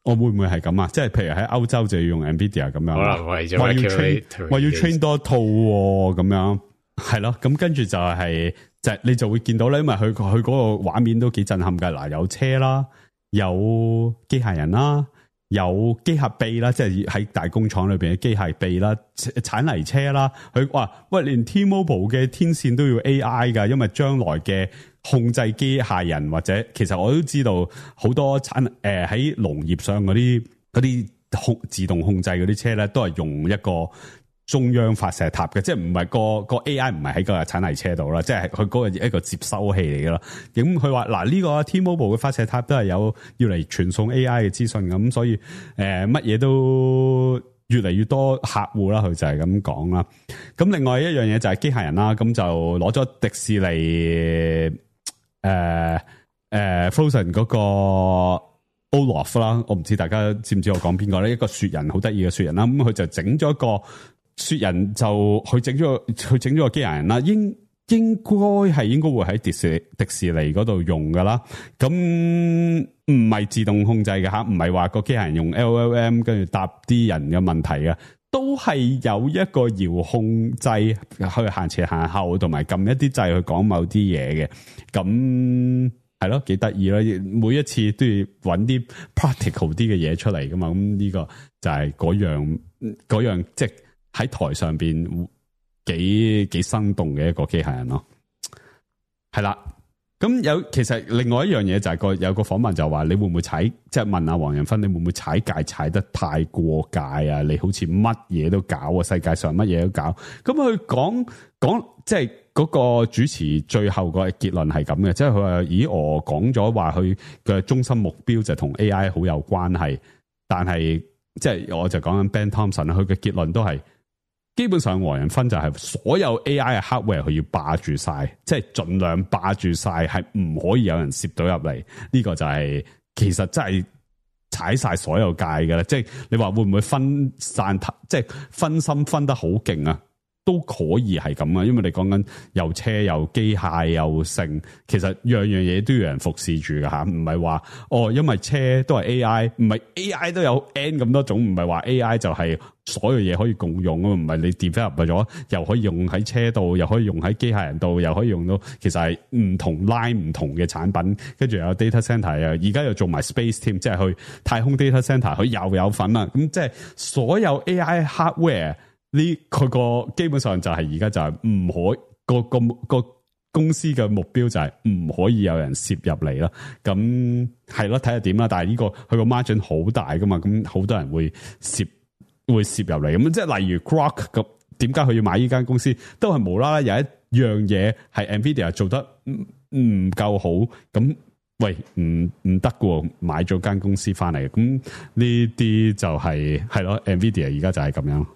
我會唔會係咁啊？即係譬如喺歐洲就要用 Nvidia 咁樣，可能為咗話要 train 話要 train 多套咁樣，係咯，咁跟住就係、是。就你就會見到咧，因為佢佢嗰個畫面都幾震撼㗎。嗱，有車啦，有機械人啦，有機械臂啦，即係喺大工廠裏邊嘅機械臂啦，鏟泥車啦。佢話喂，連 T-Mobile 嘅天線都要 A I 㗎，因為將來嘅控制機械人或者其實我都知道好多產誒喺農業上嗰啲嗰啲控自動控制嗰啲車咧，都係用一個。中央發射塔嘅，即係唔係個個 A I 唔係喺個鏟泥車度啦，即係佢嗰個一個接收器嚟嘅啦。咁佢話嗱呢個 T-Mobile 嘅發射塔都係有要嚟傳送 A I 嘅資訊咁，所以誒乜嘢都越嚟越多客戶啦，佢就係咁講啦。咁另外一樣嘢就係機械人啦，咁就攞咗迪士尼誒誒、呃呃、Frozen 嗰個 Olaf 啦，我唔知大家知唔知我講邊個咧？一個雪人好得意嘅雪人啦，咁佢就整咗一個。雪人就佢整咗佢整咗個機械人啦，應應該係應該會喺迪士迪士尼嗰度用噶啦。咁唔係自動控制嘅吓，唔係話個機械人用 L L M 跟住答啲人嘅問題嘅，都係有一個遙控掣去行前行後，同埋撳一啲掣去講某啲嘢嘅。咁係咯，幾得意啦！每一次都要揾啲 practical 啲嘅嘢出嚟噶嘛。咁呢個就係嗰樣嗰樣即係。喺台上邊幾幾生動嘅一個機械人咯，係啦。咁有其實另外一樣嘢就係個有個訪問就話你會唔會踩，即係問阿黃仁勳你會唔會踩界踩得太過界啊？你好似乜嘢都搞啊，世界上乜嘢都搞。咁佢講講即係嗰個主持最後個結論係咁嘅，即係佢話咦我講咗話佢嘅中心目標就同 A I 好有關係，但係即係我就講緊 Ben Thompson 佢嘅結論都係。基本上黃仁勳就係所有 A I 嘅 hardware 佢要霸住晒，即係盡量霸住晒，係唔可以有人攝到入嚟。呢、這個就係、是、其實真係踩晒所有界嘅啦。即係你話會唔會分散，即係分心分得好勁啊？都可以係咁啊，因為你講緊又車又機械又剩，其實樣樣嘢都要有人服侍住㗎吓，唔係話哦，因為車都係 A I， 唔係 A I 都有 N 咁多種，唔係話 A I 就係所有嘢可以共用啊，唔係你 develop 咗又可以用喺車度，又可以用喺機械人度，又可以用到，其實係唔同 line 唔同嘅產品，跟住有 data center 啊，而家又做埋 space team，即係去太空 data center，佢又有份啦，咁即係所有 A I hardware。呢佢個基本上就係而家就係唔可個個個公司嘅目標就係唔可以有人攝入嚟啦。咁係咯，睇下點啦。但係呢個佢個 margin 好大噶嘛，咁好多人會攝會攝入嚟。咁即係例如 Grok 咁，點解佢要買呢間公司？都係無啦啦有一樣嘢係 Nvidia 做得唔唔夠好，咁喂唔唔得嘅，買咗間公司翻嚟。咁呢啲就係係咯 Nvidia 而家就係咁樣。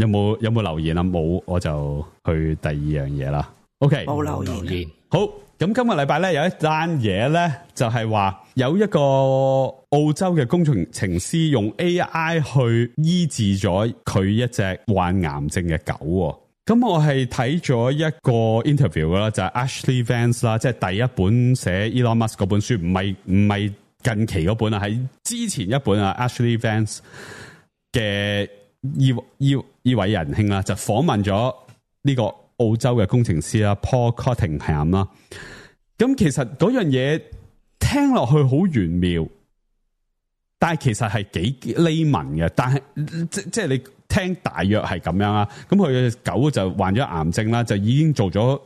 有冇有冇留言啊？冇，我就去第二樣嘢啦。OK，冇留言。留言好，咁今個禮拜咧有一單嘢咧，就係話有一個澳洲嘅工程師用 A I 去醫治咗佢一隻患癌症嘅狗。咁我係睇咗一個 interview 啦，就係 Ashley Vance 啦，即係第一本寫 Elon Musk 嗰本書，唔係唔係近期嗰本啊，係之前一本啊 Ashley Vance 嘅。依依依位仁兄啦，就訪問咗呢個澳洲嘅工程師啦 ，Paul Cottingham 啦。咁其實嗰樣嘢聽落去好玄妙，但係其實係幾 layman 嘅。但係即即係你聽大約係咁樣啊。咁佢嘅狗就患咗癌症啦，就已經做咗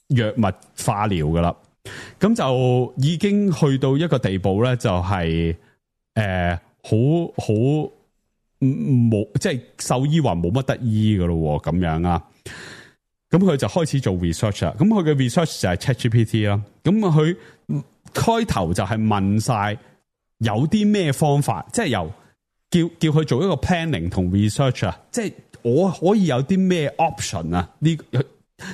藥物化療噶啦。咁就已經去到一個地步咧，就係誒好好。呃冇即係獸醫話冇乜得醫噶咯，咁樣啊，咁佢就開始做 research 啦。咁佢嘅 research 就係 ChatGPT 啦。咁佢開頭就係問晒有啲咩方法，即係由叫叫佢做一個 planning 同 research 啊，即係我可以有啲咩 option 啊？呢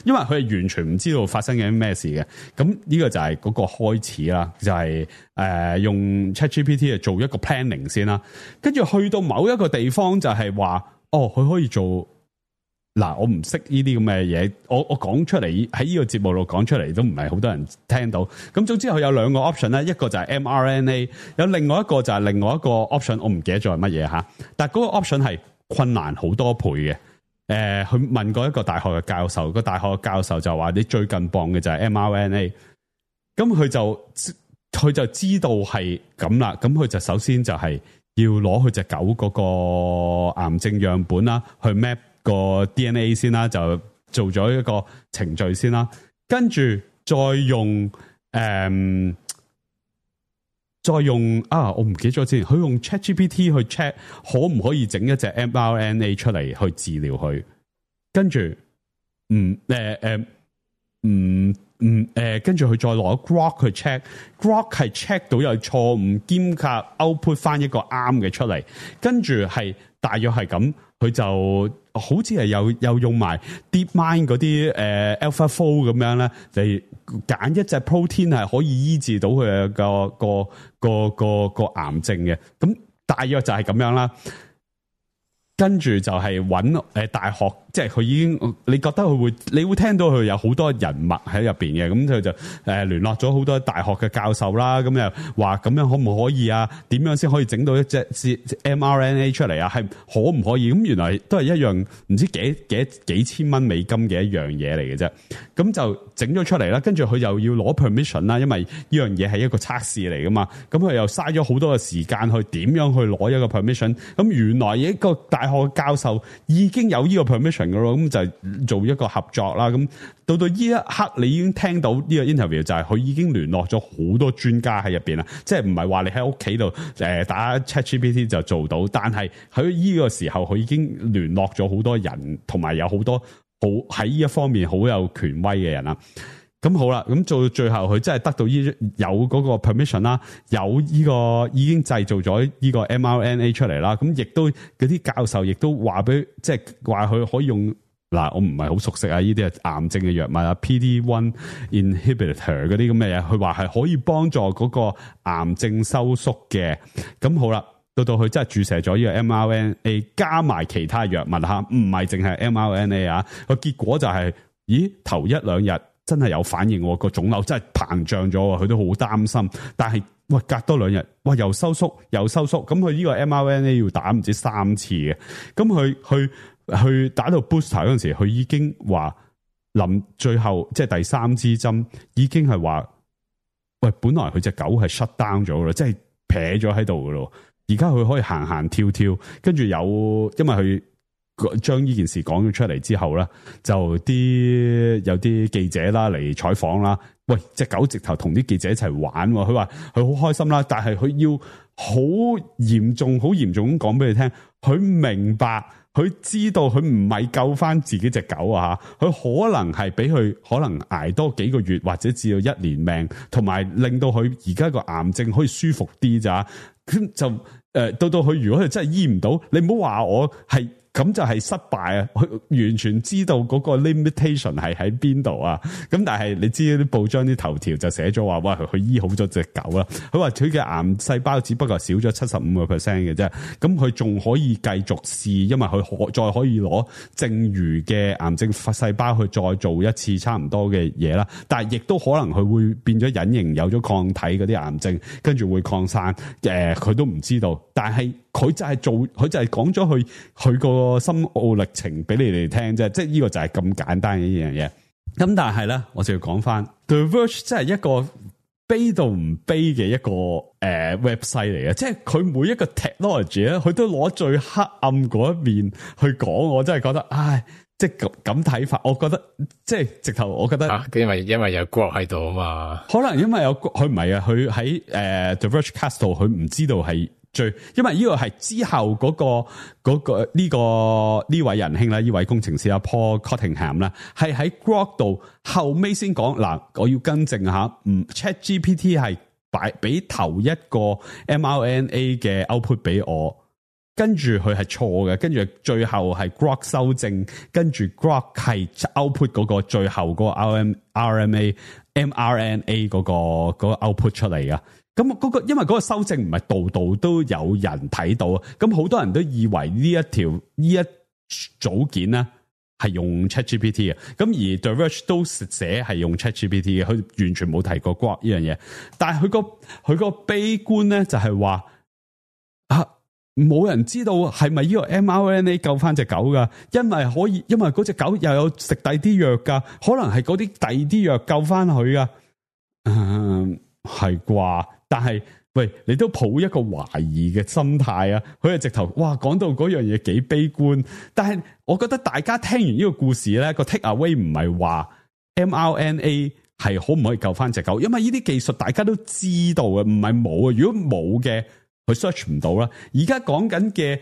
因為佢係完全唔知道發生緊咩事嘅。咁呢個就係嗰個開始啦，就係、是、誒、呃、用 ChatGPT 嚟做一個 planning 先啦。跟住去到某一個地方就係話，哦，佢可以做嗱，我唔識呢啲咁嘅嘢，我我講出嚟喺呢個節目度講出嚟都唔係好多人聽到。咁總之佢有兩個 option 咧，一個就係 M R N A， 有另外一個就係另外一個 option， 我唔記得咗係乜嘢吓。但係嗰個 option 係困難好多倍嘅。誒、呃，佢問過一個大學嘅教授，個大學嘅教授就話：你最近磅嘅就係 M R N A。咁佢就佢就知道係咁啦。咁佢就首先就係要攞佢隻狗嗰個癌症樣本啦，去 map 個 D N A 先啦，就做咗一個程序先啦。跟住再用誒。嗯再用啊，我唔記得咗之前，佢用 ChatGPT 去 check 可唔可以整一隻 M R N A 出嚟去治療佢，跟住，嗯，誒誒，嗯嗯，誒，跟住佢再攞 Grok 去 check，Grok 係 check 到有錯誤，兼夾 output 翻一個啱嘅出嚟，跟住係大約係咁，佢就好似係又又用埋 DeepMind 嗰啲誒 AlphaFold 咁樣咧嚟揀一隻 protein 係可以醫治到佢嘅個個個個個癌症嘅，咁大約就係咁樣啦。跟住就係揾誒大學，即係佢已經，你覺得佢會，你會聽到佢有好多人脈喺入邊嘅，咁佢就誒聯絡咗好多大學嘅教授啦，咁又話咁樣可唔可以啊？點樣先可以整到一隻 M R N A 出嚟啊？係可唔可以？咁原來都係一樣唔知幾幾幾千蚊美金嘅一樣嘢嚟嘅啫。咁就整咗出嚟啦，跟住佢又要攞 permission 啦，因為呢樣嘢係一個測試嚟噶嘛。咁佢又嘥咗好多嘅時間去點樣去攞一個 permission。咁原來一個大學教授已經有呢個 permission 噶咯，咁就做一個合作啦。咁到到呢一刻，你已經聽到呢個 interview 就係佢已經聯絡咗好多專家喺入邊啦，即係唔係話你喺屋企度誒打 ChatGPT 就做到，但係喺呢個時候佢已經聯絡咗好多人，同埋有好多好喺呢一方面好有權威嘅人啦。咁好啦，咁做到最後佢真係得到呢有嗰個 permission 啦，有呢個已經製造咗呢個 M R N A 出嚟啦。咁亦都嗰啲教授亦都話俾，即係話佢可以用嗱，我唔係好熟悉啊，呢啲係癌症嘅藥物啊 ，P D 一 inhibitor 嗰啲咁嘅嘢，佢話係可以幫助嗰個癌症收縮嘅。咁好啦，到到佢真係注射咗呢個 M R N A 加埋其他藥物吓，唔係淨係 M R N A 啊。個結果就係、是，咦，頭一兩日真係有反應，個腫瘤真係膨脹咗，佢都好擔心。但係喂，隔多兩日，哇，又收縮又收縮，咁佢呢個 M R N A 要打唔知三次嘅，咁佢去去打到 booster 嗰陣時，佢已經話臨最後即係第三支針，已經係話，喂，本來佢隻狗係 shut down 咗啦，即係撇咗喺度噶咯，而家佢可以行行跳跳，跟住有，因為佢將呢件事講咗出嚟之後啦，就啲有啲記者啦嚟採訪啦。喂，隻狗直頭同啲記者一齊玩，佢話佢好開心啦，但係佢要好嚴重、好嚴重咁講俾你聽，佢明白，佢知道佢唔係救翻自己隻狗啊，佢可能係俾佢可能捱多幾個月或者至到一年命，同埋令到佢而家個癌症可以舒服啲咋，咁就誒、呃、到到佢如果佢真係醫唔到，你唔好話我係。咁就係失敗啊！佢完全知道嗰個 limitation 係喺邊度啊！咁但係你知啲報章啲頭條就寫咗話，哇！佢醫好咗隻狗啦。佢話佢嘅癌細胞只不過少咗七十五個 percent 嘅啫。咁佢仲可以繼續試，因為佢可再可以攞剩餘嘅癌症細胞去再做一次差唔多嘅嘢啦。但係亦都可能佢會變咗隱形，有咗抗體嗰啲癌症，跟住會擴散。誒、呃，佢都唔知道。但係佢就係做，佢就係講咗佢佢個深奧歷程俾你哋聽啫，即係呢個就係咁簡單嘅呢樣嘢。咁但係咧，我就要講翻 The Verge 真係一個悲到唔悲嘅一個誒、呃、website 嚟嘅，即係佢每一個 technology 咧，佢都攞最黑暗嗰一面去講，我真係覺得，唉，即係咁咁睇法，我覺得即係直頭，我覺得，啊、因為因為有 Grok 喺度啊嘛，可能因為有佢唔係啊，佢喺誒 The Vergecast 度，佢唔知道係。最，因為呢個係之後嗰、那個嗰、那個呢、這個呢位仁兄啦，呢位工程師啊 Paul Cottingham 啦，係喺 Grok 度後尾先講嗱，我要更正下，唔 ChatGPT 係擺俾頭一個 M R N A 嘅 output 俾我，跟住佢係錯嘅，跟住最後係 Grok 修正，跟住 Grok 係 output 嗰個最後嗰個 R M R M A M R N A 嗰、那個嗰、那個 output 出嚟啊。咁嗰個因為嗰個修正唔係度度都有人睇到，咁好多人都以為呢一條呢一組件咧係用 ChatGPT 嘅，咁而 The Verge 都寫係用 ChatGPT 嘅，佢完全冇提過 Grok 呢樣嘢。但係佢個佢個悲觀咧就係話啊，冇人知道係咪呢個 M R N A 救翻隻狗噶，因為可以，因為嗰隻狗又有食第啲藥噶，可能係嗰啲第啲藥救翻佢噶，嗯，係啩？但係，喂，你都抱一個懷疑嘅心態啊！佢係直頭，哇，講到嗰樣嘢幾悲觀。但係，我覺得大家聽完呢個故事咧，個 take away 唔係話 M R N A 係可唔可以救翻隻狗，因為呢啲技術大家都知道嘅，唔係冇啊。如果冇嘅，佢 search 唔到啦。而家講緊嘅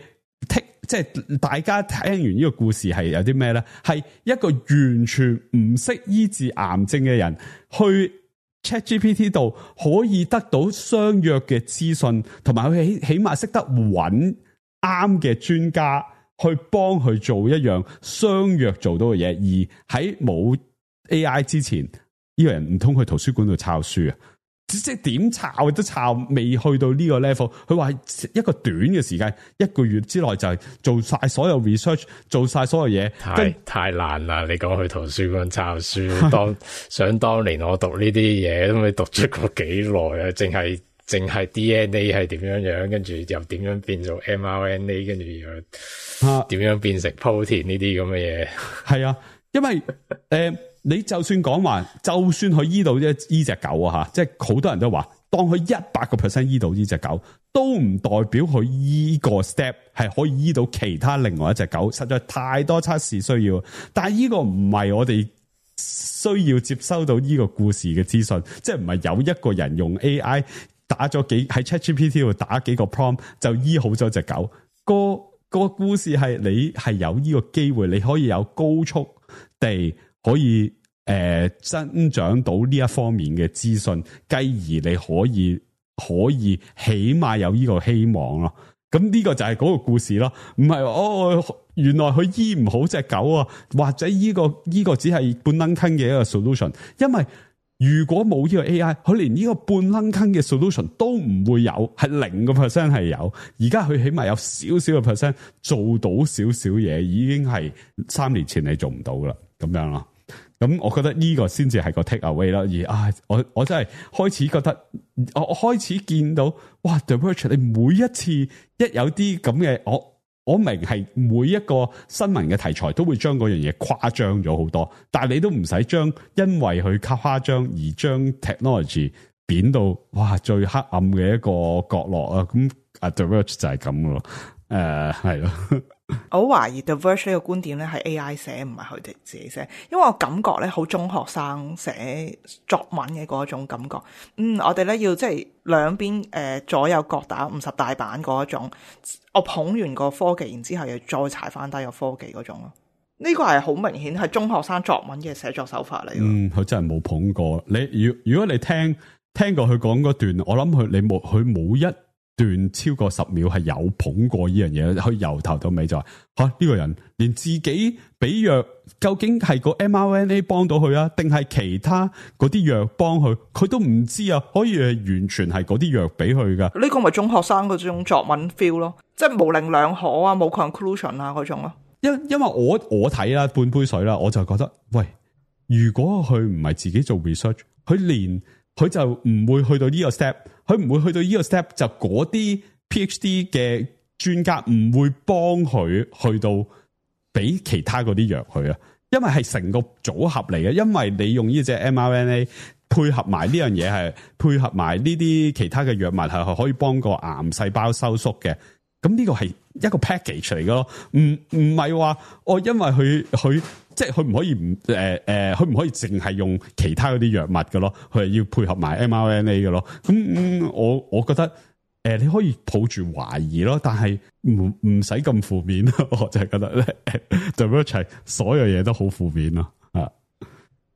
take，即係大家聽完呢個故事係有啲咩咧？係一個完全唔識醫治癌症嘅人去ChatGPT 度可以得到相約嘅資訊，同埋佢起起碼識得揾啱嘅專家去幫佢做一樣相約做到嘅嘢，而喺冇 A I 之前，呢個人唔通去圖書館度抄書啊？即係點抄都抄未去到呢個 level。佢話一個短嘅時間，一個月之內就係做晒所有 research， 做晒所有嘢，太太難啦！你講去圖書館抄書，當想當年我讀呢啲嘢都未讀出過幾耐啊！淨係淨係 D N A 係點樣樣，跟住又點樣變做 M R N A， 跟住又點樣變成 protein 呢啲咁嘅嘢。係啊，因為誒。呃你就算講話，就算佢醫到呢呢隻狗啊吓，即係好多人都話，當佢一百個 percent 醫到呢隻狗，都唔代表佢依個 step 係可以醫到其他另外一隻狗，實在太多測試需要。但係呢個唔係我哋需要接收到呢個故事嘅資訊，即係唔係有一個人用 A I 打咗幾喺 ChatGPT 度打幾個 prompt 就醫好咗隻狗。個個故事係你係有呢個機會，你可以有高速地。可以誒、呃、增長到呢一方面嘅資訊，繼而你可以可以起碼有呢個希望咯。咁呢個就係嗰個故事咯，唔係哦。原來佢醫唔好隻狗啊，或者呢、這個呢、這個只係半撚坑嘅一個 solution， 因為如果冇呢個 A I， 佢連呢個半撚坑嘅 solution 都唔會有，係零個 percent 係有。而家佢起碼有少少嘅 percent 做到少少嘢，已經係三年前你做唔到噶啦，咁樣咯。咁我覺得呢個先至係個 take away 啦。而啊，我我真係開始覺得，我我開始見到，哇 The Verge 你每一次一有啲咁嘅，我我明係每一個新聞嘅題材都會將嗰樣嘢誇張咗好多，但係你都唔使將因為佢誇張而將 technology 貶到哇最黑暗嘅一個角落啊！咁啊 The Verge 就係咁咯，誒係咯。我好懷疑 The Verge 呢個觀點咧係 A I 寫，唔係佢哋自己寫，因為我感覺咧好中學生寫作文嘅嗰種感覺。嗯，我哋咧要即係兩邊誒左右各打五十大板嗰種，我捧完個科技，然之後又再踩翻低個科技嗰種咯。呢個係好明顯係中學生作文嘅寫作手法嚟。嗯，佢真係冇捧過你。如如果你聽聽過佢講嗰段，我諗佢你冇佢冇一段超過十秒係有捧過呢樣嘢，佢由頭到尾就話吓呢個人連自己俾藥，究竟係個 M R N A 幫到佢啊，定係其他嗰啲藥幫佢，佢都唔知啊，可以係完全係嗰啲藥俾佢噶。呢個咪中學生嗰種作文 feel 咯，即係模棱兩可啊，冇 conclusion 啊嗰種咯。因因為我我睇啦半杯水啦，我就覺得喂，如果佢唔係自己做 research， 佢連佢就唔會去到呢個 step。佢唔會去到呢個 step， 就嗰啲 PhD 嘅專家唔會幫佢去到俾其他嗰啲藥佢啊，因為係成個組合嚟嘅。因為你用呢隻 M R N A 配合埋呢樣嘢，係配合埋呢啲其他嘅藥物，係可以幫個癌細胞收縮嘅。咁呢個係一個 package 嚟嘅咯，唔唔係話我因為佢佢即係佢唔可以唔誒誒，佢、呃、唔可以淨係用其他嗰啲藥物嘅咯，佢係要配合埋 M R N A 嘅咯。咁、嗯、我我覺得誒、呃，你可以抱住懷疑咯，但係唔唔使咁負面咯。我就係覺得咧，The Verge 所有嘢都好負面咯。啊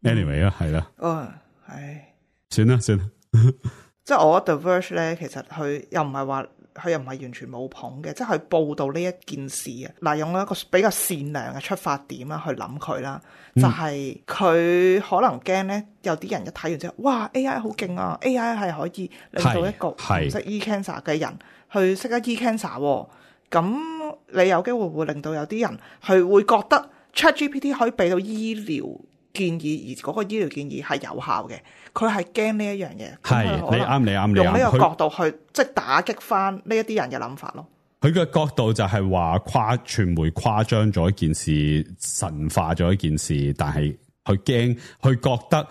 ，anyway 啦，係啦，哦，係，算啦算啦，即係我覺得 The Verge 咧，其實佢又唔係話。佢又唔係完全冇捧嘅，即係佢報道呢一件事啊。嗱，用一個比較善良嘅出發點啦去諗佢啦，就係、是、佢可能驚咧，有啲人一睇完之後，哇 A I 好勁啊 ！A I 係可以令到一個唔識醫 cancer 嘅人去識得醫 cancer， 咁你有機會會令到有啲人佢會覺得 ChatGPT 可以俾到醫療建議，而嗰個醫療建議係有效嘅。佢係驚呢一樣嘢，係你啱，你啱，你啱。用呢個角度去即係打擊翻呢一啲人嘅諗法咯。佢嘅角度就係話誇傳媒誇張咗一件事，神化咗一件事，但係佢驚，佢覺得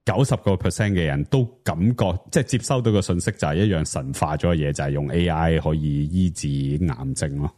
九十個 percent 嘅人都感覺即係接收到個信息就係一樣神化咗嘅嘢，就係、是、用 A I 可以醫治癌症咯。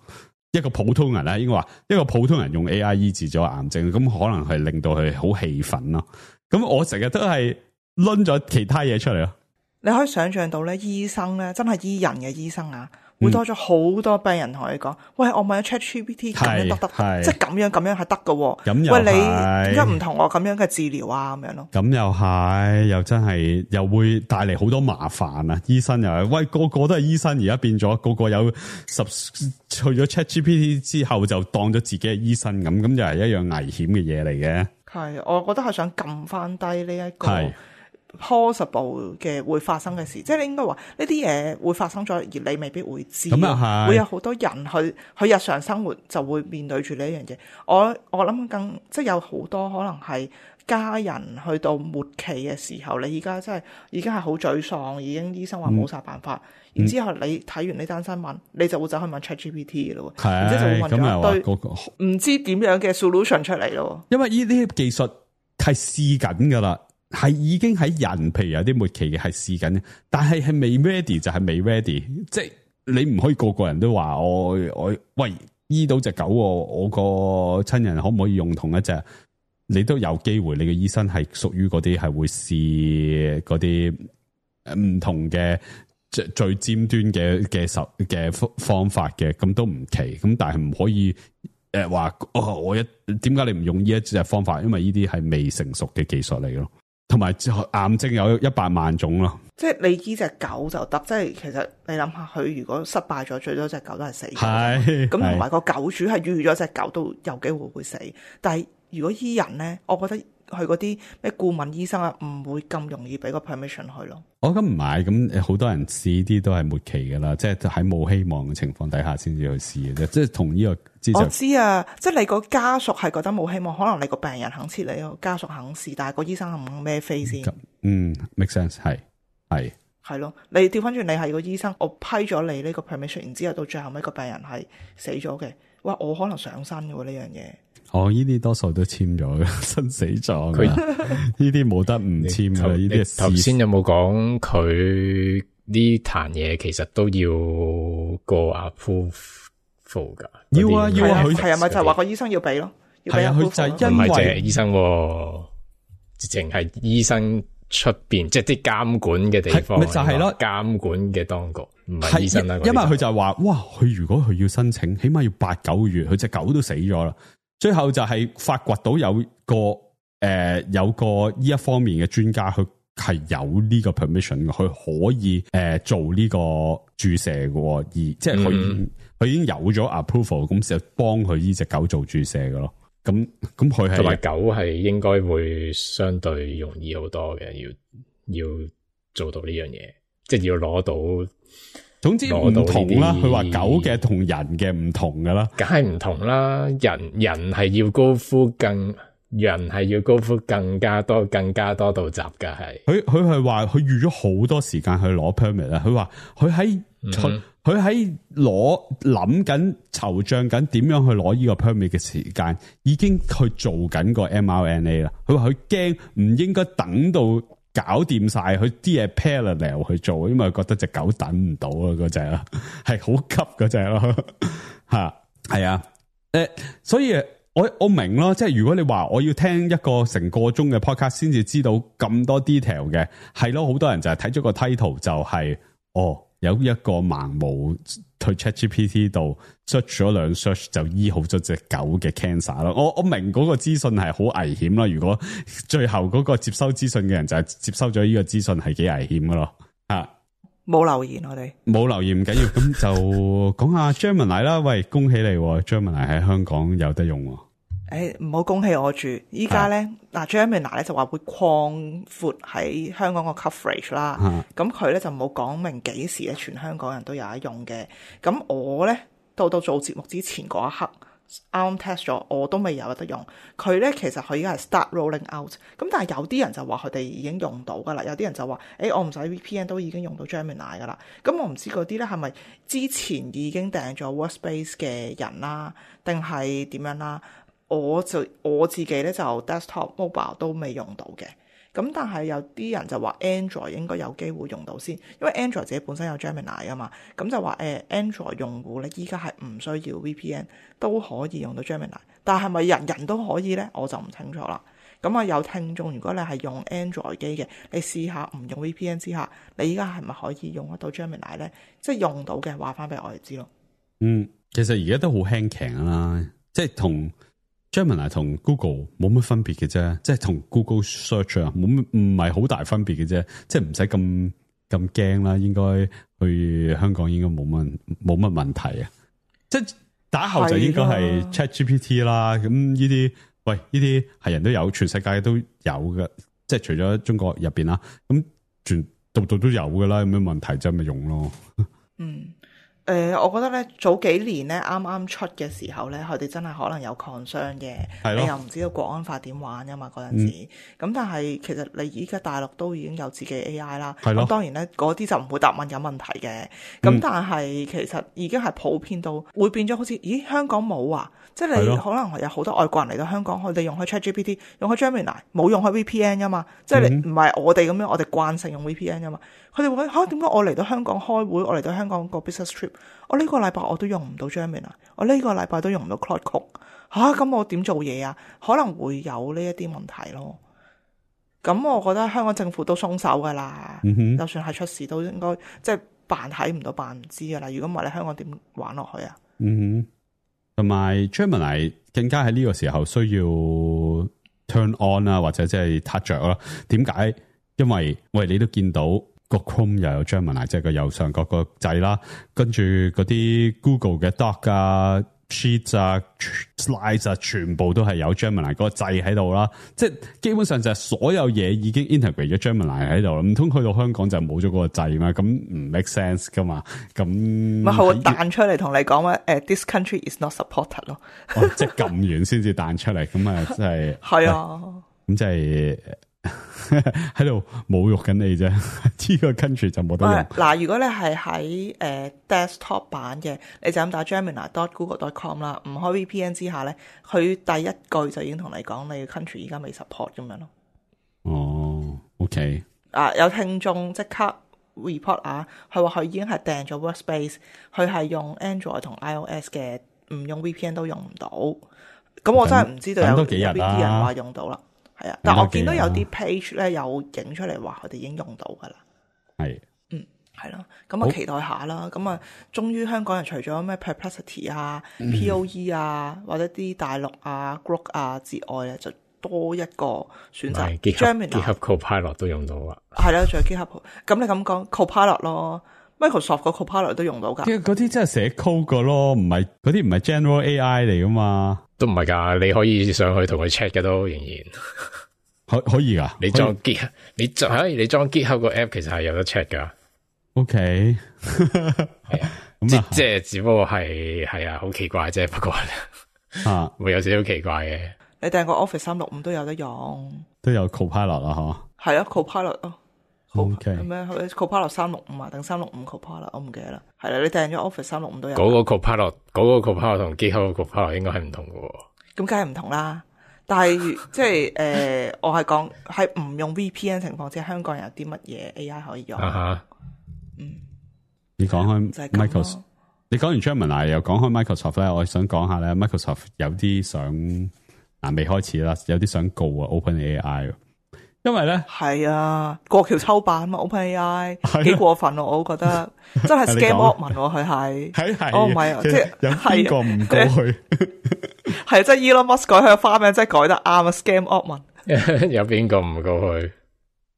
一個普通人咧，應該話一個普通人用 A I 醫治咗癌症，咁可能係令到佢好氣憤咯。咁我成日都係掄咗其他嘢出嚟咯。你可以想象到咧，醫生咧真係醫人嘅醫生啊，會多咗好多病人同你講、嗯，喂，我問咗 ChatGPT 咁樣得得，即係咁樣咁樣係得㗎。咁喂，你點解唔同我咁樣嘅治療啊？咁樣咯。咁又係，又真係又會帶嚟好多麻煩啊！醫生又係，喂，個個都係醫生，而家變咗個個有十去咗 ChatGPT 之後就當咗自己係醫生咁，咁就係一樣危險嘅嘢嚟嘅。係，我覺得係想撳翻低呢一個possible 嘅會發生嘅事，即係你應該話呢啲嘢會發生咗，而你未必會知。咁又係，會有好多人去去日常生活就會面對住呢一樣嘢。我我諗更即係有好多可能係家人去到末期嘅時候，你而家真係已經係好沮喪，已經醫生話冇晒辦法。嗯、然之後你睇完呢單新聞，你就會走去問 ChatGPT 嘅咯，然之後就會問咗一堆唔知點樣嘅 solution 出嚟咯。因為呢啲技術係試緊噶啦。係已經喺人，譬如有啲末期嘅係試緊，但係係未 ready 就係未 ready，即係你唔可以個個人都話我我喂醫到隻狗，我個親人可唔可以用同一隻？你都有機會，你嘅醫生係屬於嗰啲係會試嗰啲唔同嘅最最尖端嘅嘅手嘅方法嘅，咁都唔奇。咁但係唔可以誒話哦，我一點解你唔用呢一隻方法？因為呢啲係未成熟嘅技術嚟咯。同埋癌症有一百萬種咯。即係你醫隻狗就得，即係其實你諗下，佢如果失敗咗，最多隻狗都係死嘅。係咁同埋個狗主係預咗隻狗都有機會會死。但係如果醫人咧，我覺得佢嗰啲咩顧問醫生啊，唔會咁容易俾個 permission 佢咯。我咁唔係，咁好多人試啲都係末期噶啦，即係喺冇希望嘅情況底下先至去試嘅啫。即係同呢個知識。我知啊，即係你個家屬係覺得冇希望，可能你個病人肯切你，個家屬肯試，但係個醫生肯唔肯孭飛先？嗯 ，make sense 係。係係咯，你調翻轉，你係個醫生，我批咗你呢個 permission， 然之後到最後尾個病人係死咗嘅，哇！我可能上身嘅喎呢樣嘢。哦，呢啲多數都簽咗嘅生死狀，佢呢啲冇得唔簽嘅。呢啲頭先有冇講佢呢壇嘢其實都要過 approval 噶？要啊要啊，佢係啊咪就係話個醫生要俾咯？係啊，佢就係因為唔係淨係醫生，直情係醫生。出邊即係啲監管嘅地方，咪就係咯，監管嘅當局唔係醫生啦。因為佢就係話，哇！佢如果佢要申請，起碼要八九個月，佢隻狗都死咗啦。最後就係發掘到有個誒、呃、有個呢一方面嘅專家，佢係有呢個 permission 嘅，佢可以誒、呃、做呢個注射嘅，而即係佢佢已經有咗 approval，咁就幫佢呢隻狗做注射嘅咯。咁咁佢係同埋狗係應該會相對容易好多嘅，要要做到呢樣嘢，即係要攞到。總之唔同啦，佢話狗嘅同人嘅唔同噶啦，梗係唔同啦。人人係要高呼更，人係要高呼更加多、更加多道閘噶係。佢佢係話佢預咗好多時間去攞 permit 啊。佢話佢喺佢佢喺攞諗緊籌帳緊點樣去攞呢個 permit 嘅時間，已經去做緊個 M R N A 啦。佢話佢驚唔應該等到搞掂晒佢啲嘢 parallel 去做，因為佢覺得隻狗等唔到啊，嗰隻啊係好急嗰隻咯吓，係啊，誒，所以我我明咯，即係如果你話我要聽一個成個鐘嘅 podcast 先至知道咁多 detail 嘅，係咯，好多人就係睇咗個 title 就係、是、哦。有一個盲毛去 ChatGPT 度 search 咗兩 search 就醫好咗隻狗嘅 cancer 咯。我我明嗰個資訊係好危險啦。如果最後嗰個接收資訊嘅人就係接收咗呢個資訊係幾危險噶咯。啊，冇留言我哋冇留言唔緊要，咁就講下 Gemini 啦。喂，恭喜你 ，Gemini 喺香港有得用。誒，唔好恭喜我住，依家咧嗱 Gemini 咧就話會擴闊喺香港個 coverage 啦，咁佢咧就冇講明幾時咧全香港人都有得用嘅。咁我咧到到做節目之前嗰一刻啱啱 test 咗，我都未有得用。佢咧其實佢而家係 start rolling out，咁但係有啲人就話佢哋已經用到噶啦，有啲人就話誒、欸、我唔使 V P N 都已經用到 Gemini 噶啦。咁我唔知嗰啲咧係咪之前已經訂咗 Workspace 嘅人啦，定係點樣啦？我就我自己咧就 desktop mobile 都未用到嘅，咁但係有啲人就話 Android 應該有機會用到先，因為 Android 自己本身有 Gemini 啊嘛，咁就話誒 Android 用戶咧依家係唔需要 V P N 都可以用到 Gemini， 但係咪人人都可以咧？我就唔清楚啦。咁啊有聽眾，如果你係用 Android 機嘅，你試下唔用 V P N 之下，你依家係咪可以用得到 Gemini 咧？即係用到嘅話翻俾我哋知咯。嗯，其實而家都好輕騎啦，即係同。Gemini 同 Google 冇乜分別嘅啫，即係同 Google Search 啊，冇乜唔係好大分別嘅啫，即係唔使咁咁驚啦。應該去香港應該冇乜冇乜問題啊。即係打後就應該係 ChatGPT 啦。咁呢啲喂呢啲係人都有，全世界都有嘅，即係除咗中國入邊啦，咁全度度都有噶啦。有咩問題就咪用咯。嗯。誒、呃，我覺得咧早幾年咧啱啱出嘅時候咧，佢哋真係可能有 concern 嘅，你又唔知道國安法點玩噶嘛嗰陣時。咁、嗯、但係其實你依家大陸都已經有自己 A I 啦，咁當然咧嗰啲就唔會答問有問題嘅。咁、嗯、但係其實已經係普遍到會變咗好似，咦香港冇啊？即係你可能有好多外國人嚟到香港，佢哋用開 ChatGPT， 用開 Gemini， 冇用開 V P N 噶嘛？即係你唔係我哋咁樣，我哋慣性用 V P N 噶嘛？佢哋會嚇點解我嚟到香港開會，我嚟到香港個 business trip， 我呢個禮拜我都用唔到 Gemini， 我呢個禮拜都用唔到 Claude Code 嚇，咁我點做嘢啊？可能會有呢一啲問題咯。咁我覺得香港政府都鬆手噶啦、嗯，就算係出事都應該即係扮睇唔到，扮唔知噶啦。如果唔係，你香港點玩落去啊？嗯哼，同埋 Gemini 更加喺呢個時候需要 turn on 啊，或者即係 touch 着啦。點解？因為喂，你都見到個 Chrome 又有 Gemini， 即係個右上角個掣啦，跟住嗰啲 Google 嘅 Doc 啊、Sheets 啊、Slides 啊，全部都係有 Gemini 嗰個掣喺度啦。即係基本上就係所有嘢已經 integrate 咗 Gemini 喺度啦。唔通去到香港就冇咗嗰個掣咩？咁唔 make sense 噶嘛？咁咪佢會彈出嚟同你講話誒 ，this country is not supported 咯。哦，即係撳完先至彈出嚟，咁啊，真係係啊，咁即係。喺度侮辱緊你啫，呢個 country 就冇得用。嗱，如果你係喺誒 desktop 版嘅，你就咁打 gemini dot google dot com 啦，唔開 V P N 之下咧，佢第一句就已經同你講你嘅 country 而家未 support 咁樣咯。哦 ，OK。啊，有聽眾即刻 report 啊，佢話佢已經係訂咗 workspace，佢係用 Android 同 iOS 嘅，唔用 V P N 都用唔到。咁我真係唔知道有有邊啲人話用到啦。係啊，但我見到有啲 page 咧有影出嚟話佢哋已經用到噶啦。係，嗯，係咯，咁啊期待下啦。咁啊，終於香港人除咗咩 Perplexity 啊、嗯、P O E 啊，或者啲大陸啊、Grok 啊之外咧，就多一個選擇。Gemini、GitHub Copilot 都用到啊。係啦，仲有 GitHub。咁你咁講 Copilot 咯 ，Microsoft 個 Copilot 都用到噶。嗰啲真係寫 code 噶咯，唔係嗰啲唔係 General A I 嚟噶嘛。都唔係噶，你可以上去同佢 check 嘅都仍然可可以噶。你裝 Git， 你裝你裝 GitHub 個 app 其實係有得 check 噶。OK， 係啊，即即係只不過係係啊，好奇怪啫。不過啊，會有少少奇怪嘅。你訂個 Office 三六五都有得用，都有 Copilot 啦，嗬。係啊 ，Copilot 咯。OK，咩 Copilot 三六五啊，定三六五 Copilot， 我唔記得啦。係啦，你訂咗 Office 三六五都有。嗰個 Copilot，嗰個 Copilot 同 GitHub 個 Copilot 應該係唔同嘅。咁梗係唔同啦。但係即係誒、呃，我係講喺唔用 V P N 情況之下，香港人有啲乜嘢 A I 可以用？啊、嗯，你講開 Microsoft，你講完 Gemini 又講開 Microsoft 咧，我想講下咧 ，Microsoft 有啲想嗱未開始啦，有啲想告啊 OpenAI。因為咧係啊，過橋抽板嘛 ，OpenAI 幾過分咯，我都覺得真係 scam Altman 佢係係係，哦唔係啊，即係有邊個唔過去？係即係 Elon Musk 改佢嘅花名，真係改得啱啊 ，scam Altman 有邊個唔過去？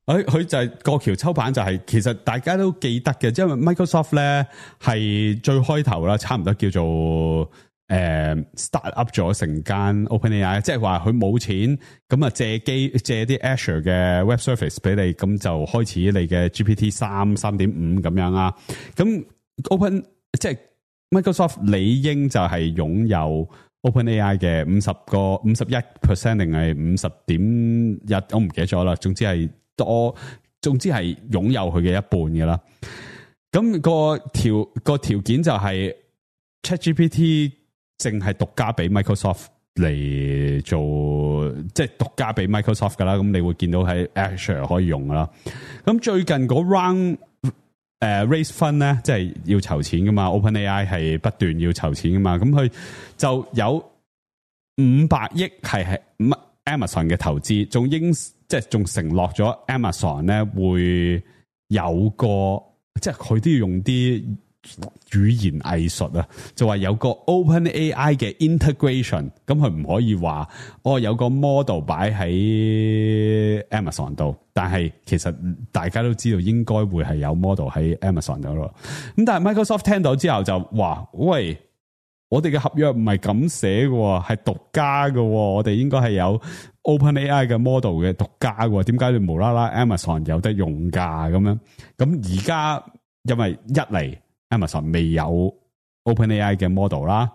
佢佢就係過橋抽板，就係其實大家都記得嘅，因為 Microsoft 咧係最開頭啦，差唔多叫做。誒、uh, ，start up 咗成間 OpenAI， 即係話佢冇錢，咁啊借機借啲 Azure 嘅 Web Service 俾你，咁就開始你嘅 G P T 三、三點五咁樣啊。咁 Open 即係 Microsoft 理應就係擁有 OpenAI 嘅五十個五十一 percent 定係五十點一，我唔記得咗啦。總之係多，總之係擁有佢嘅一半嘅啦。咁、個條、個條件就係 ChatGPT。淨係獨家俾 Microsoft 嚟做，即係獨家俾 Microsoft 噶啦。咁你會見到喺 Azure 可以用噶啦。咁最近嗰 round 誒、uh, raise fund 咧，即係要籌錢噶嘛。OpenAI 係不斷要籌錢噶嘛。咁佢就有五百億係係 Amazon 嘅投資，仲應即係仲承諾咗 Amazon 咧會有個，即係佢都要用啲。語言藝術啊，就話有個 OpenAI 嘅 integration，咁佢唔可以話哦有個 model 擺喺 Amazon 度，但係其實大家都知道應該會係有 model 喺 Amazon 度咯。咁但係 Microsoft 聽到之後就話：喂，我哋嘅合約唔係咁寫嘅，係獨家嘅，我哋應該係有 OpenAI 嘅 model 嘅獨家嘅，點解你無啦啦 Amazon 有得用㗎？咁樣咁而家因為一嚟。Amazon 未有 OpenAI 嘅 model 啦，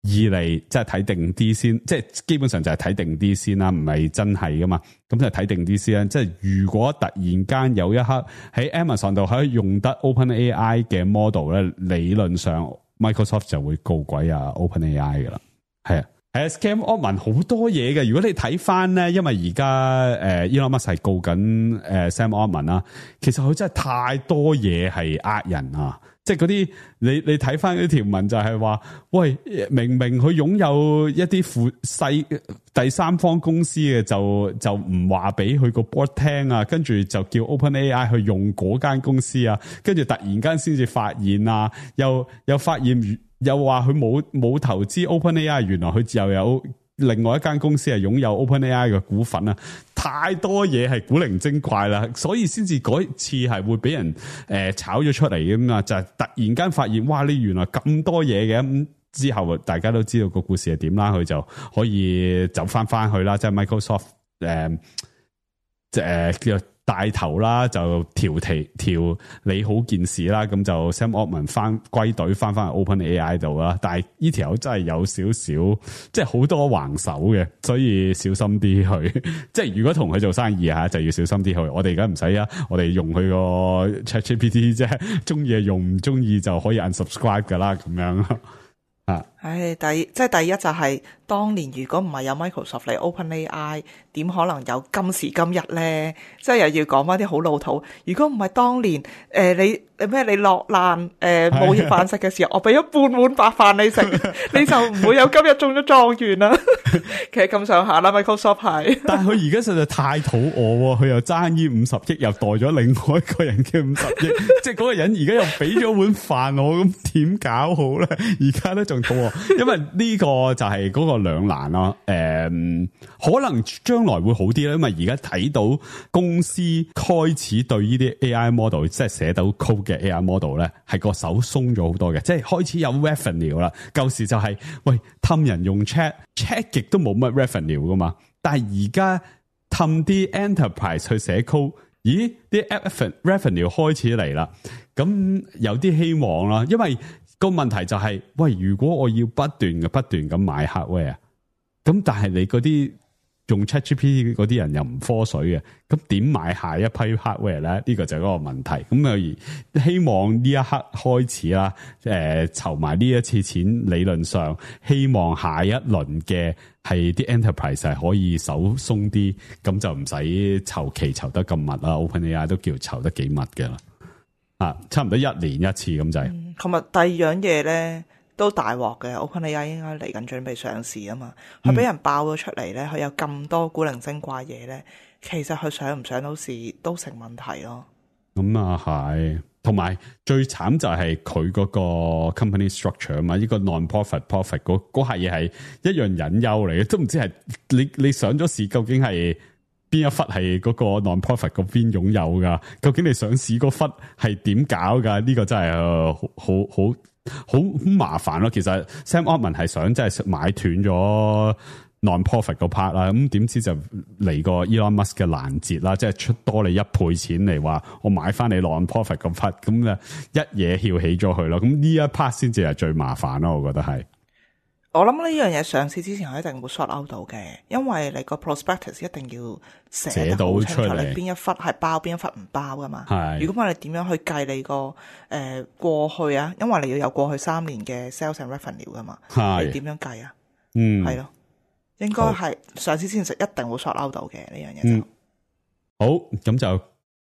二嚟即係睇定啲先，即係基本上就係睇定啲先啦，唔係真係噶嘛，咁就睇定啲先啦。即係如果突然間有一刻喺 Amazon 度可以用得 OpenAI 嘅 model 咧，理論上 Microsoft 就會告鬼啊 OpenAI 噶啦，係啊。係啊 ，Scam Altman 好多嘢嘅。如果你睇翻咧，因為而家誒 Elon Musk 係告緊誒 Sam Altman 啦，其實佢真係太多嘢係呃人啊！即係嗰啲你你睇翻嗰啲條文就係話，喂，明明佢擁有一啲附細第三方公司嘅，就就唔話俾佢個 board 聽啊，跟住就叫 OpenAI 去用嗰間公司啊，跟住突然間先至發現啊，又又發現。又話佢冇冇投資 OpenAI，原來佢又有另外一間公司係擁有 OpenAI 嘅股份啊，太多嘢係古靈精怪啦，所以先至嗰次係會俾人誒、呃、炒咗出嚟嘅嘛，就係、是、突然間發現，哇！你原來咁多嘢嘅，咁之後大家都知道個故事係點啦，佢就可以走翻翻去啦，即係 Microsoft 誒即係叫帶頭啦，就調提調理好件事啦，咁就 Sam Altman 翻歸隊翻翻去 OpenAI 度啦。但係呢條友真係有少少，即係好多橫手嘅，所以小心啲去。即係如果同佢做生意吓，就要小心啲去。我哋而家唔使啊，我哋用佢個 ChatGPT 啫，中意用，唔中意就可以 unsubscribe 噶啦，咁樣啊。唉，第即係第一就係、是、當年如果唔係有 Microsoft 嚟 OpenAI，點可能有今時今日咧？即係又要講翻啲好老土。如果唔係當年誒、呃、你咩你落難誒冇嘢飯食嘅時候，我俾咗半碗白飯你食，你就唔會有今日中咗狀元啦。其實咁上下啦 ，Microsoft 係。但係佢而家實在太肚餓，佢又爭呢五十億，又代咗另外一個人嘅五十億，即係嗰個人而家又俾咗碗飯我，咁點搞好咧？而家咧仲肚餓。因為呢個就係嗰個兩難咯，誒、嗯，可能將來會好啲啦，因為而家睇到公司開始對呢啲 A I model， 即係寫到 code 嘅 A I model 咧，係個手鬆咗好多嘅，即係開始有 revenue 啦。舊時就係、是、喂氹人用 chat chat 極都冇乜 revenue 噶嘛，但係而家氹啲 enterprise 去寫 code， 咦啲 revenue 開始嚟啦，咁有啲希望啦，因為。個問題就係、是，喂，如果我要不斷嘅不斷咁買 hardware，咁但係你嗰啲用 ChatGPT 嗰啲人又唔科水嘅，咁點買下一批 hardware 咧？呢、這個就係嗰個問題。咁啊，希望呢一刻開始啦，誒、呃，籌埋呢一次錢，理論上希望下一輪嘅係啲 enterprise 係可以手鬆啲，咁就唔使籌期籌得咁密啦。OpenAI 都叫籌得幾密嘅啦。啊，差唔多一年一次咁就係。同埋第二樣嘢咧都大鑊嘅 ，OpenAI 應該嚟緊準備上市啊嘛，佢俾人爆咗出嚟咧，佢有咁多古靈精怪嘢咧，其實佢上唔上到市都成問題咯。咁啊係，同埋最慘就係佢嗰個 company structure 啊嘛，呢個 non-profit profit 嗰嗰下嘢係一樣隱憂嚟嘅，都唔知係你你上咗市究竟係。邊一忽係嗰個 non-profit 嗰邊擁有噶？究竟你上市嗰忽係點搞噶？呢、這個真係好好好好麻煩咯。其實 Sam Altman 係想真係買斷咗 non-profit 嗰 part 啦，咁點知就嚟個 Elon Musk 嘅攔截啦，即係出多你一倍錢嚟話我買翻你 non-profit 嗰 part，咁啊一嘢翹起咗佢咯。咁呢一 part 先至係最麻煩咯，我覺得係。我諗呢樣嘢上市之前，我一定會 sort out 到嘅，因為你個 prospectus 一定要寫得好清楚，你邊一忽係包，邊一忽唔包噶嘛。係，如果唔係你點樣去計你個誒、呃、過去啊？因為你要有過去三年嘅 sales and revenue 噶嘛。係，你點樣計啊？嗯，係咯，應該係上市之前一定會 sort out 到嘅呢樣嘢。嗯，好，咁就。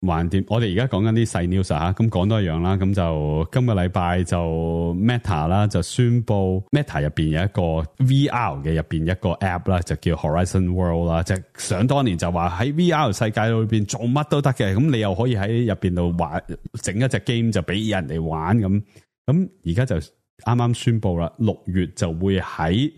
橫掂，我哋而家講緊啲細 news 吓，咁講多一樣啦。咁就今個禮拜就 Meta 啦，就宣布 Meta 入邊有一個 V R 嘅入邊一個 app 啦，就叫 Horizon World 啦。即係想當年就話喺 V R 世界裏邊做乜都得嘅，咁你又可以喺入邊度玩整一隻 game 就俾人哋玩咁。咁而家就啱啱宣布啦，六月就會喺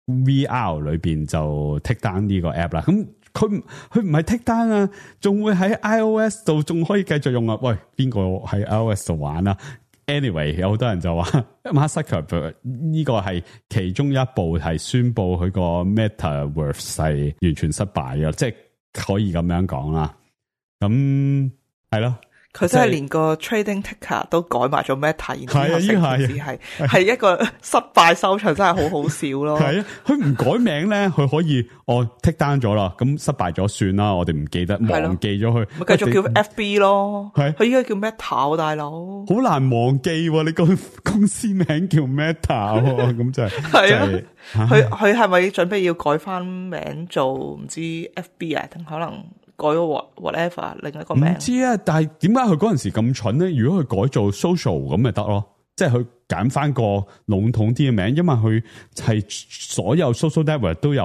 V R 裏邊就 take down 呢個 app 啦。咁佢佢唔係 take down啊，仲會喺 iOS 度仲可以繼續用啊！喂，邊個喺 iOS 度玩啊 ？Anyway，有好多人就話 Mark Zuckerberg 呢個係其中一步係宣布佢個 Metaverse 係完全失敗嘅，即係可以咁樣講啦。咁係咯。佢真係連個 trading ticker 都改埋咗 Meta，然後成件事係係一個失敗收場，真係好好笑咯。係啊，佢唔改名咧，佢可以哦 take down 咗啦，咁失敗咗算啦，我哋唔記得忘記咗佢，咪繼續叫 F B 咯。係，佢依家叫 Meta，大佬好難忘記喎，你個公司名叫 Meta，咁就係係啊。佢佢係咪準備要改翻名做唔知 F B 啊？定可能？改咗 whatever 另一個名唔知啊，但係點解佢嗰陣時咁蠢咧？如果佢改做 social 咁咪得咯，即係佢揀翻個籠統啲嘅名，因為佢係所有 social network 都有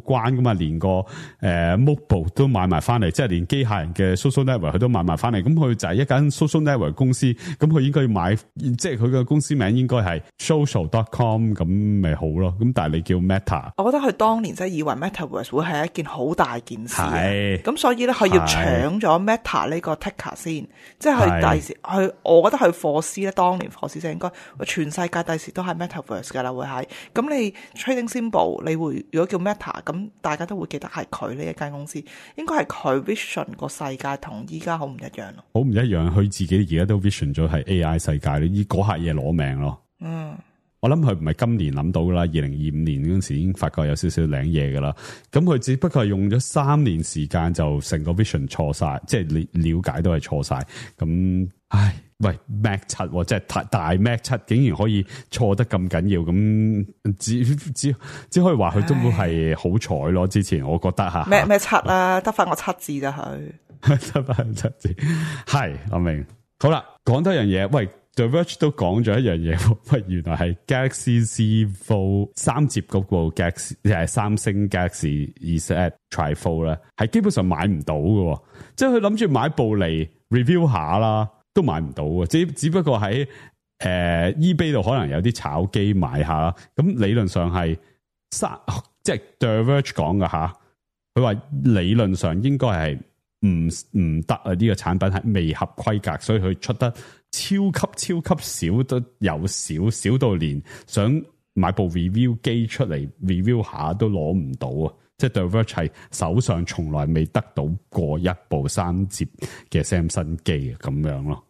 關噶嘛，連個誒、呃、mobile 都買埋翻嚟，即係連機械人嘅 social network 佢都買埋翻嚟。咁佢就係一間 social network 公司，咁佢應該要買，即係佢嘅公司名應該係 social dot com 咁咪好咯。咁但係你叫 Meta， 我覺得佢當年真係以為 Metaverse 會係一件好大件事，係咁所以咧佢要搶咗 Meta 呢個 ticker 先，即係佢第時佢，我覺得佢貨師咧，當年貨師就應該全世界第時都係 Metaverse 噶啦，會係咁你 trading symbol 你會如果叫 Meta， 咁大家都會記得係佢呢一間公司，應該係佢 vision 個世界同依家好唔一樣咯，好唔一樣。佢自己而家都 vision 咗係 A I 世界，你依嗰下嘢攞命咯。嗯。我諗佢唔係今年諗到噶啦，二零二五年嗰陣時已經發覺有少少靚嘢噶啦。咁佢只不過係用咗三年時間就成個 vision 錯晒，即係你了解都係錯晒。咁唉，喂 Mac 七即係大大 Mac 七竟然可以錯得咁緊要，咁只只只可以話佢都係好彩咯。之前我覺得吓咩咩七啦，得翻個七字咋佢，得翻七字係我明。好啦，講多樣嘢，喂。The Verge 都講咗一樣嘢，喂，原來係 Galaxy Z Fold 三摺嗰部 Galaxy 係三星 Galaxy Z Tri-Fold 咧，係基本上買唔到嘅，即係佢諗住買部嚟 review 下啦，都買唔到嘅，只只不過喺誒、呃、eBay 度可能有啲炒機買下啦，咁理論上係三即係 The Verge 講嘅吓，佢話理論上應該係唔唔得啊，呢、這個產品係未合規格，所以佢出得超級超級少，都有少少到連想買部 review 機出嚟 review 下都攞唔到啊！即係 The Verge 係手上從來未得到過一部三摺嘅 Samsung 機咁樣咯。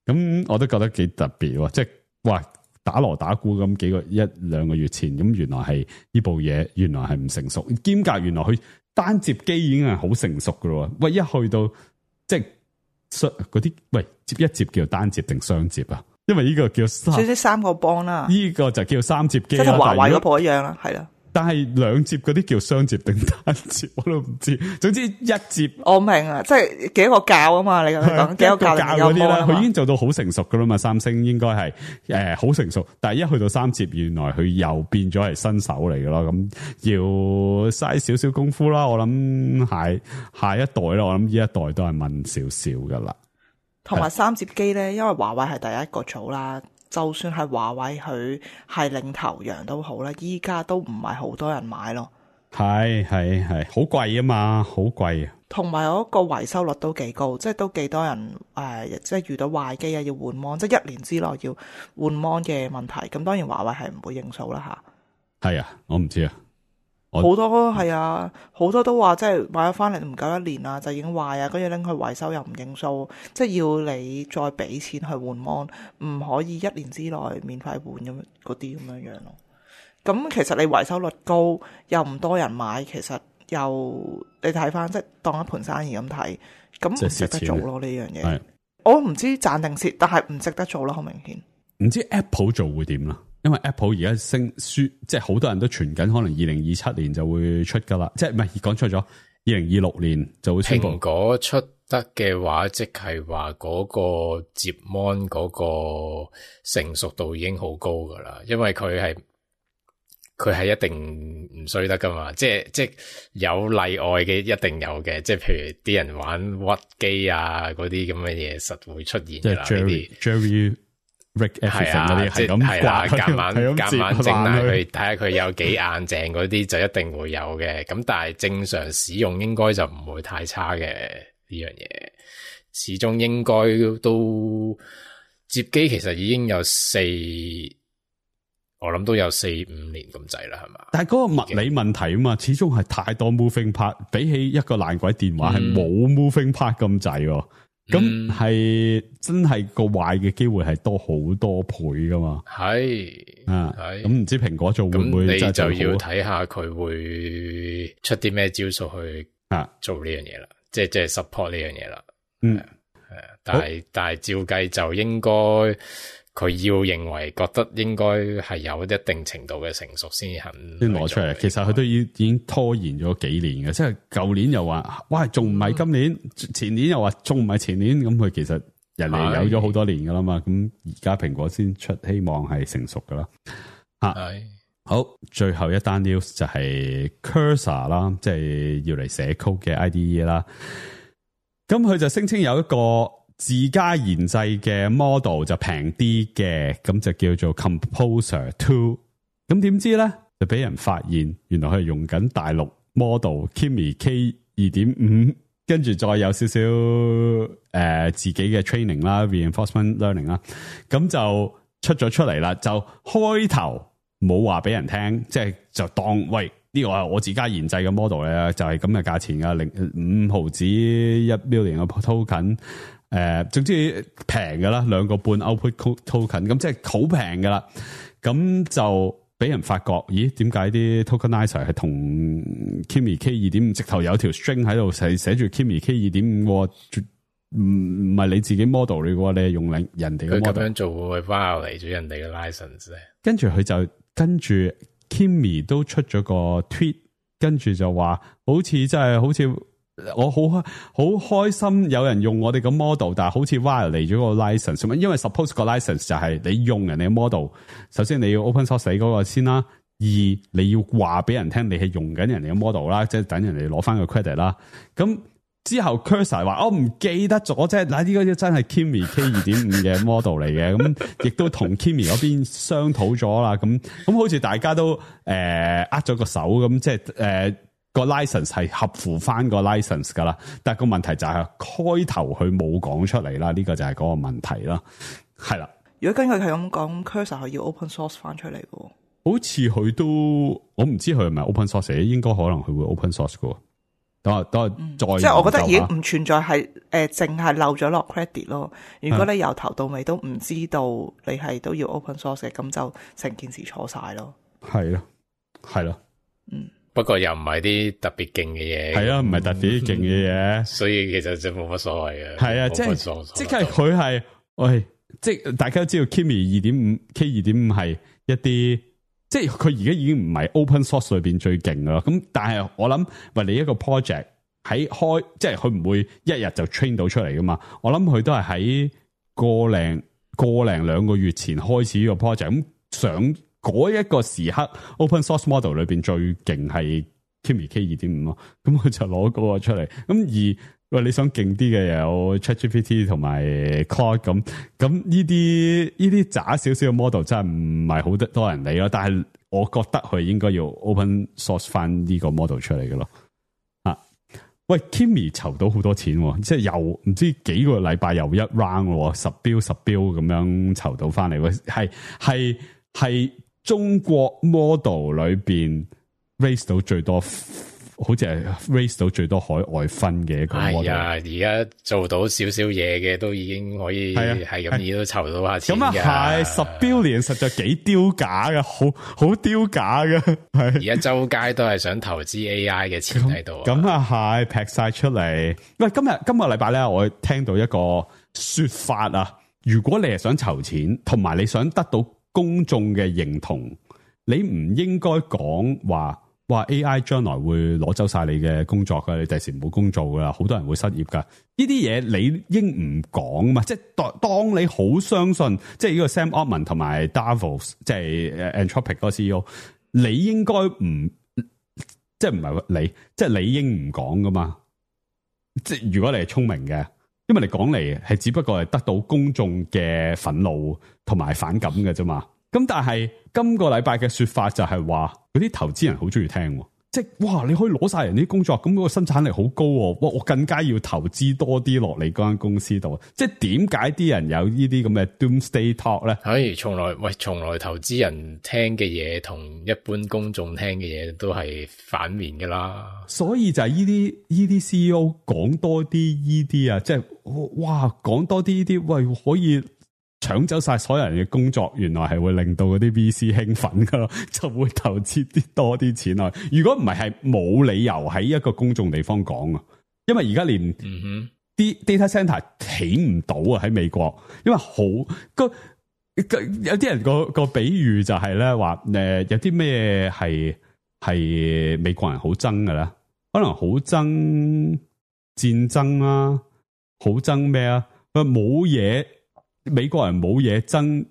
咁我都覺得幾特別喎！即係哇，打鑼打鼓咁幾個一兩個月前，咁原來係呢部嘢原來係唔成熟，兼夾原來佢單摺機已經係好成熟噶咯。喂，一去到即係。嗰啲喂，接一接叫單接定雙接啊？因為呢個叫三，少少三個幫啦。呢個就叫三接機啦，即係華為嗰部一樣啦，係啦。但係兩接嗰啲叫雙接定單接，我都唔知。總之一接，我明啊，即係幾個教啊嘛，你咁講幾個教嗰啲啦，佢已經做到好成熟噶啦嘛。三星應該係誒好成熟，但係一去到三接，原來佢又變咗係新手嚟噶咯。咁要嘥少少功夫啦。我諗下下一代啦，我諗呢一代都係問少少噶啦。同埋三接機咧，因為華為係第一個組啦。就算係華為佢係領頭羊都好啦，依家都唔係好多人買咯。係係係，好貴啊嘛，好貴啊。同埋嗰個維修率都幾高，即係都幾多人誒、呃，即係遇到壞機啊，要換 mon， 即係一年之內要換 mon 嘅問題。咁當然華為係唔會認數啦吓。係啊，我唔知啊。好多係啊，好多都話即係買咗翻嚟唔夠一年啊，就已經壞啊，跟住拎去維修又唔認數，即係要你再俾錢去換 mon， 唔可以一年之內免費換咁嗰啲咁樣樣咯。咁其實你維修率高又唔多人買，其實又你睇翻即係當一盤生意咁睇，咁唔值得做咯呢樣嘢。我唔知賺定蝕，但係唔值得做咯，好明顯。唔知 Apple 做會點啦？因為 Apple 而家升輸，即係好多人都傳緊，可能二零二七年就會出噶啦，即係唔係講錯咗，二零二六年就會出。蘋果出得嘅話，即係話嗰個接 mon 嗰個成熟度已經好高噶啦，因為佢係佢係一定唔衰得噶嘛，即係即係有例外嘅，一定有嘅，即係譬如啲人玩屈機啊嗰啲咁嘅嘢，實會出現噶啦呢啲。Jerry Rick 係啊，即係係啦，夾硬夾硬整埋佢，睇下佢有幾硬淨嗰啲就一定會有嘅。咁但係正常使用應該就唔會太差嘅呢樣嘢。始終應該都接機其實已經有四，我諗都有四五年咁滯啦，係嘛？但係嗰個物理問題啊嘛，始終係太多 moving part，比起一個爛鬼電話係冇 moving part 咁滯。咁係、嗯、真係個壞嘅機會係多好多倍噶嘛？係啊，咁唔知蘋果做會唔會？咁你就要睇下佢會出啲咩招數去啊做呢樣嘢啦，即係即係 support 呢樣嘢啦。嗯，係啊，但係但係照計就應該佢要認為覺得應該係有一定程度嘅成熟先肯先攞出嚟。其實佢都已已經拖延咗幾年嘅，即係舊年又話，哇，仲唔係今年？前年又話仲唔係前年？咁佢其實人哋有咗好多年噶啦嘛，咁而家蘋果先出，希望係成熟噶啦。吓，係好，最後一單 news 就係 Cursor 啦，即係要嚟寫 code 嘅 I D E 啦。咁佢就聲稱有一個自家研製嘅 model 就平啲嘅，咁就叫做 Composer Two。咁點知咧就俾人發現，原來佢係用緊大陸 model Kimi K 二點五。跟住再有少少誒、呃、自己嘅 training 啦 reinforcement learning 啦，咁就出咗出嚟啦。就開頭冇話俾人聽，即係就當喂呢個係我自家研製嘅 model 咧，就係咁嘅價錢噶，零五毫子一 million 嘅 token，誒、呃、總之平噶啦，兩個半 output token，咁即係好平噶啦。咁就俾人發覺，咦？點解啲 tokenizer 係同 Kimi K 二點五直頭有條 string 喺度寫寫住 Kimi K 二點五，唔唔係你自己 model 嚟嘅，你係用人人哋嘅 model。佢咁樣做會 violate 咗人哋嘅 license 咧。跟住佢就跟住 Kimi 都出咗個 tweet，跟住就話好似真係好似。我好好開心有人用我哋個 model， 但係好似 violate 咗個 license， 因為 suppose 個 license 就係你用人哋嘅 model， 首先你要 open source 嗰個先啦，二你要話俾人聽你係用緊人哋嘅 model 啦，即係等人哋攞翻個 credit 啦。咁之後 Cursor 話我唔記得咗啫，嗱呢個真係 Kimi K 二點五嘅 model 嚟嘅，咁亦都同 Kimi 嗰邊商討咗啦。咁咁好似大家都誒呃咗個手咁，即係誒。呃個 license 係合乎翻個 license 噶啦，但係個問題就係開頭佢冇講出嚟啦，呢、這個就係嗰個問題啦，係啦。如果根據佢咁講 ，Cursor 係要 open source 翻出嚟嘅，好似佢都我唔知佢係咪 open source， 應該可能佢會 open source 嘅。等下等下再、嗯，即係我覺得已經唔存在係誒，淨、呃、係漏咗落 credit 咯。如果你由頭到尾都唔知道你係都要 open source 嘅，咁就成件事錯晒咯。係咯，係咯，嗯。不過又唔係啲特別勁嘅嘢，係啊，唔係特別勁嘅嘢，所以其實就冇乜所謂嘅。係啊，即係即係佢係，喂，即係大家都知道 Kimi 二點五 K 二點五係一啲，即係佢而家已經唔係 open source 裏邊最勁噶啦。咁但係我諗，喂，你一個 project 喺開，即係佢唔會一日就 train 到出嚟噶嘛。我諗佢都係喺個零個零兩個月前開始呢個 project，咁想。嗰一個時刻 open source model 裏邊最勁係 Kimi K 二點五咯，咁佢就攞嗰個出嚟。咁而喂你想勁啲嘅有 ChatGPT 同埋 Claude 咁，咁呢啲呢啲渣少少嘅 model 真係唔係好得多人理咯。但係我覺得佢應該要 open source 翻呢個 model 出嚟嘅咯。啊，喂 Kimi 籌到好多錢，即係又唔知幾個禮拜又一 round 咯，十標十標咁樣籌到翻嚟，係係係。中國 model 裏邊 raise 到最多，好似係 raise 到最多海外分嘅一個 model。係啊，而家做到少少嘢嘅都已經可以係咁易都籌到下錢。咁啊係十 billion 實在幾丟架嘅，好好丟架嘅。係而家周街都係想投資 A I 嘅錢喺度。咁啊係劈晒出嚟。喂，今日今個禮拜咧，我聽到一個說法啊，如果你係想籌錢，同埋你想得到公眾嘅認同，你唔應該講話話 A I 將來會攞走晒你嘅工作噶，你第時冇工做噶啦，好多人會失業噶。呢啲嘢你應唔講嘛？即係當當你好相信，即係呢個 Sam Altman 同埋 Davos， 即係 Anthropic 嗰個 C E O， 你應該唔即係唔係你，即係你應唔講噶嘛？即係如果你係聰明嘅。因為你講嚟係只不過係得到公眾嘅憤怒同埋反感嘅啫嘛，咁但係今個禮拜嘅說法就係話嗰啲投資人好中意聽，即係哇你可以攞晒人啲工作，咁嗰個生產力好高，哇我更加要投資多啲落你嗰間公司度，即係點解啲人有呢啲咁嘅 doomsday talk 咧？係從來喂，從來投資人聽嘅嘢同一般公眾聽嘅嘢都係反面噶啦，所以就係呢啲呢啲 C E O 講多啲呢啲啊，即係哇講多啲呢啲，喂可以搶走晒所有人嘅工作，原來係會令到嗰啲 V C 興奮噶咯，就會投資啲多啲錢落。如果唔係，係冇理由喺一個公眾地方講啊，因為而家連啲 data center 起唔到啊喺美國，因為好個有啲人個個比喻就係咧話誒，有啲咩係係美國人好憎嘅咧，可能好憎戰爭啦，好憎咩啊？佢冇嘢，美國人冇嘢爭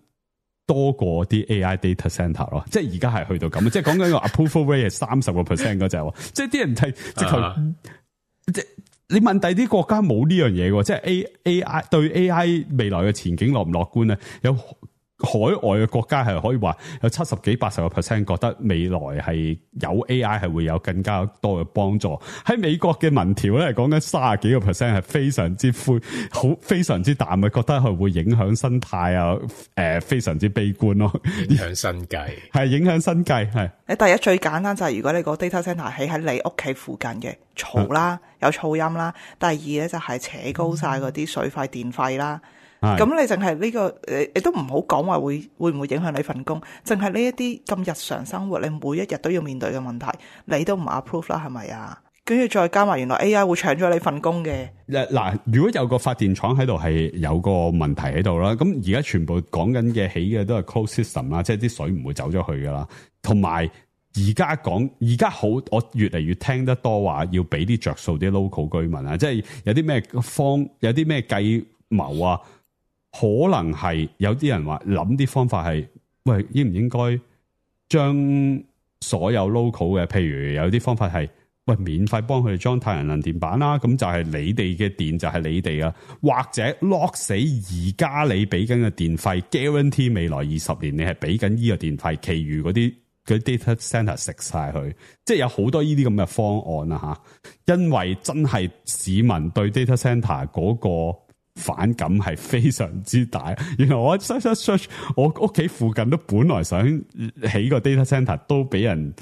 多過啲 A I data center 咯，即係而家係去到咁，即係講緊個 approval rate 係三十個 percent 嗰隻，即係啲人係直頭，即係你問第啲國家冇呢樣嘢嘅，即係 A A I 對 A I 未來嘅前景樂唔樂觀咧？有海外嘅國家係可以話有七十幾八十個 percent 覺得未來係有 A I 係會有更加多嘅幫助。喺美國嘅民調咧，講緊三十幾個 percent 係非常之灰，好非常之淡嘅，覺得佢會影響生態啊，誒、呃，非常之悲觀咯。影響生計係影響生計係。你第一最簡單就係如果你個 data center 起喺你屋企附近嘅，嘈啦，有噪音啦。第二咧就係扯高晒嗰啲水費電費啦。咁你淨係呢個誒，你都唔好講話會會唔會影響你份工，淨係呢一啲咁日常生活，你每一日都要面對嘅問題，你都唔 approve 啦，係咪啊？跟住再加埋原來 A I 會搶咗你份工嘅。嗱，如果有個發電廠喺度係有個問題喺度啦，咁而家全部講緊嘅起嘅都係 closed system 啦，即係啲水唔會走咗去噶啦。同埋而家講，而家好，我越嚟越聽得多話要俾啲着數啲 local 居民啊，即係有啲咩方，有啲咩計謀啊。可能係有啲人話諗啲方法係，喂，應唔應該將所有 local 嘅，譬如有啲方法係，喂，免費幫佢哋裝太陽能電板啦，咁就係你哋嘅電就係你哋啊，或者 lock 死而家你俾緊嘅電費 ，guarantee 未來二十年你係俾緊呢個電費，其餘嗰啲嗰啲 data center 食晒佢，即係有好多呢啲咁嘅方案啊吓，因為真係市民對 data center 嗰個反感係非常之大，原來我 search search， 我屋企附近都本來想起個 data center 都俾人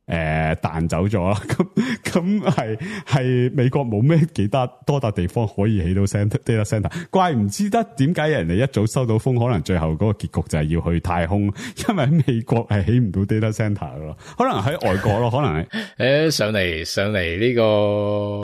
誒彈走咗啦，咁咁係係美國冇咩幾多多笪地方可以起到 center data center， 怪唔知得點解人哋一早收到風，可能最後嗰個結局就係要去太空，因為喺美國係起唔到 data center 咯，可能喺外國咯，可能係誒上嚟上嚟呢個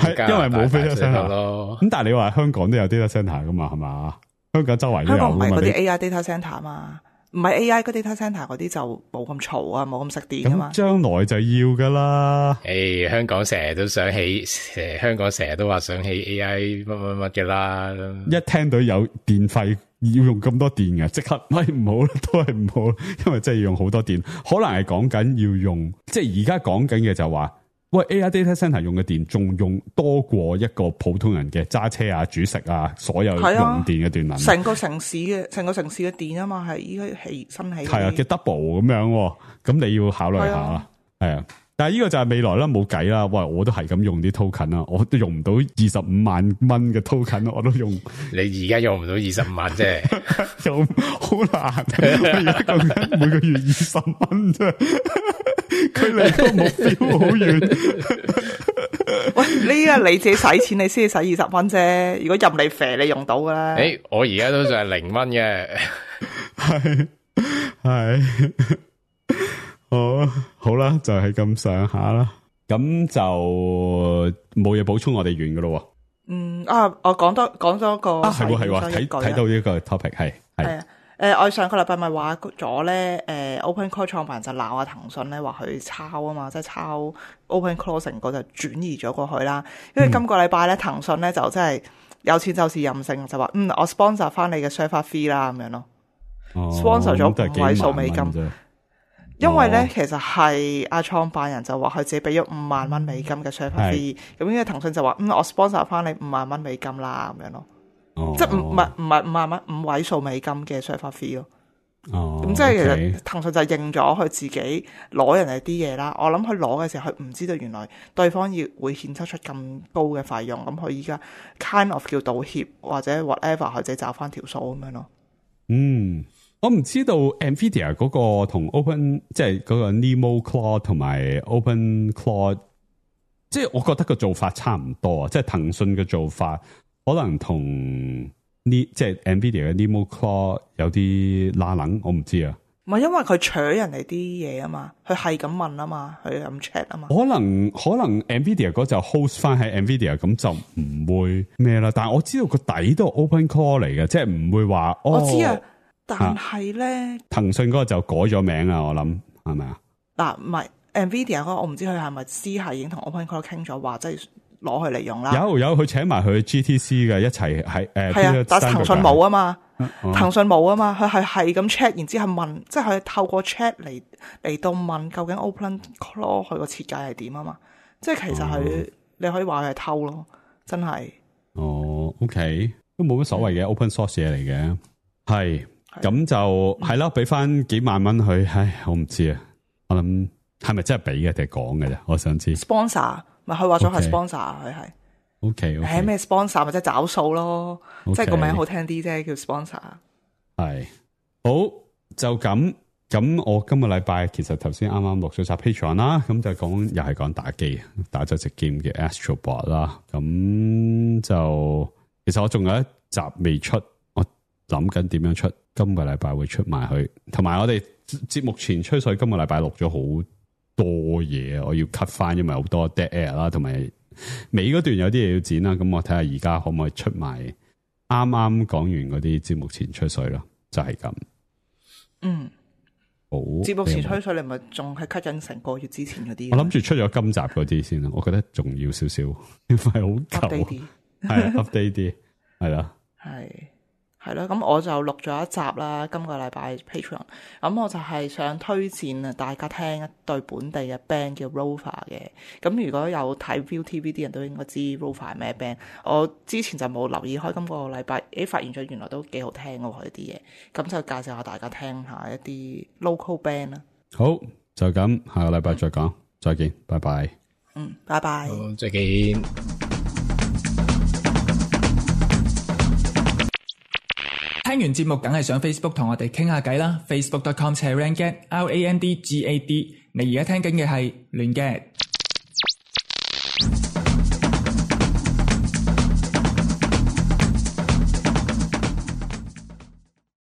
係因為冇 data center 咯，咁但係你話香港都有 data center 噶嘛，係嘛？香港周圍都有，香港唔係嗰啲 A I data center 嘛。唔係 A I 嗰啲 data center 嗰啲就冇咁嘈啊，冇咁食電啊嘛。咁將來就要噶啦。誒、哎，香港成日都想起，誒，香港成日都話想起 A I 乜乜乜嘅啦。一聽到有電費要用咁多電嘅，即刻喂唔好啦，都係唔好，因為真係要用好多電。可能係講緊要用，即係而家講緊嘅就話。喂 ，A I data center 用嘅電仲用多過一個普通人嘅揸車啊、煮食啊，所有用電嘅電能。成、啊、個城市嘅成個城市嘅電啊嘛，係依家起新起。係啊，嘅 double 咁樣，咁你要考慮下啦。係啊，但係呢個就係未來啦，冇計啦。喂，我都係咁用啲 token 啦，我都用唔到二十五萬蚊嘅 token， 我都用。你而家用唔到二十五萬啫，又好難。我而家講緊每個月二十蚊啫。佢離個目標好遠。喂，呢個你自己使錢，你先至使二十蚊啫。如果任你肥，你用到噶啦。誒、欸，我而家都仲係零蚊嘅。係係，好好啦，就係咁上下啦。咁就冇嘢補充，我哋完噶咯。嗯啊，我講多講多個啊，係喎係喎，睇睇到呢個 topic 係係。誒、呃，我上個禮拜咪話咗咧，誒、呃、，OpenClaw 創辦人就鬧下騰訊咧，話佢抄啊嘛，即係抄 OpenClaw 成個就轉移咗過去啦。因為今個禮拜咧，騰訊咧就真係有錢就是任性，就話嗯，我 sponsor 翻你嘅 server fee 啦，咁樣咯。哦、sponsor 咗五位數美金，哦、因為咧其實係阿創辦人就話佢自己俾咗五萬蚊美金嘅 server fee，咁因為騰訊就話嗯，我 sponsor 翻你五萬蚊美金啦，咁樣咯。哦、即係唔唔係唔係五萬蚊五位數美金嘅 server fee 咯，哦，咁即係其實騰訊就認咗佢自己攞人哋啲嘢啦。我諗佢攞嘅時候，佢唔知道原來對方要會獻出出咁高嘅費用，咁佢依家 kind of 叫道歉或者 whatever，佢自己找翻條數咁樣咯。嗯，我唔知道 Nvidia 嗰個同 Open 即係嗰個 Nemo Cloud 同埋 Open Cloud， 即係我覺得個做法差唔多啊，即係騰訊嘅做法。可能同呢即係 Nvidia 嘅 Nemo Cloud 有啲拉冷，我唔知啊。唔係因為佢搶人哋啲嘢啊嘛，佢係咁問啊嘛，佢咁 check 啊嘛。可能可能 Nvidia 嗰就 host 翻喺 Nvidia， 咁就唔會咩啦。但係我知道個底都係 Open Cloud 嚟嘅，即係唔會話、哦。我知啊，但係咧，騰訊嗰個就改咗名啊，我諗係咪啊？嗱，唔係。誒、Nvidia 嗰個，我唔知佢係咪私下已經同 OpenCloud 傾咗話，即係攞佢嚟用啦。有有佢請埋佢 G T C 嘅一齊喺誒。係啊，但係騰訊冇啊嘛，哦、騰訊冇啊嘛，佢係係咁 check，然之後問，即係佢透過 check 嚟嚟到問究竟 OpenCloud 佢個設計係點啊嘛。即係其實佢、哦、你可以話佢係偷咯，真係。哦 ，OK， 都冇乜所謂嘅、嗯、open source 嘢嚟嘅，係咁就係咯，俾翻幾萬蚊佢，唉，我唔知啊，我諗係咪真係俾嘅定係講嘅啫？我想知。sponsor 咪佢話咗係 sponsor， 佢係。OK，誒咩 sponsor 咪即係找數咯， okay, 即係個名好聽啲啫，叫 sponsor。係好就咁。咁我今個禮拜其實頭先啱啱錄咗集 Patreon 啦，咁就講又係講打機，打咗隻 game 嘅 Astrobot 啦。咁就其實我仲有一集未出，我諗緊點樣出，今個禮拜會出埋去。同埋我哋節目前吹水，今個禮拜錄咗好多嘢，我要 cut 翻，因為好多 dead air 啦，同埋尾嗰段有啲嘢要剪啦。咁我睇下而家可唔可以出埋啱啱講完嗰啲節目前吹水咯，就係、是、咁。嗯。好，節目前吹水，你咪仲係 cut 緊成個月之前嗰啲。我諗住出咗今集嗰啲先啦，我覺得重要少少，因為好舊，係 update 啲，係啦，係係咯。咁我就錄咗一集啦，今個禮拜 Patreon。咁我就係想推薦啊，大家聽一隊本地嘅 band 叫 Rover 嘅。咁如果有睇 ViuTV 啲人都應該知 Rover 係咩 band。我之前就冇留意開，今個禮拜誒發現咗原來都幾好聽嘅喎，佢啲嘢。咁就介紹下大家聽下一啲 local band 啦。好，就咁，下個禮拜再講，嗯、再見，拜拜。嗯，拜拜。好，再見。聽完節目梗係上 Facebook 同我哋傾下偈啦 ，facebook dot com slash randgad R A N D G A D。你而家聽緊嘅係亂 gad。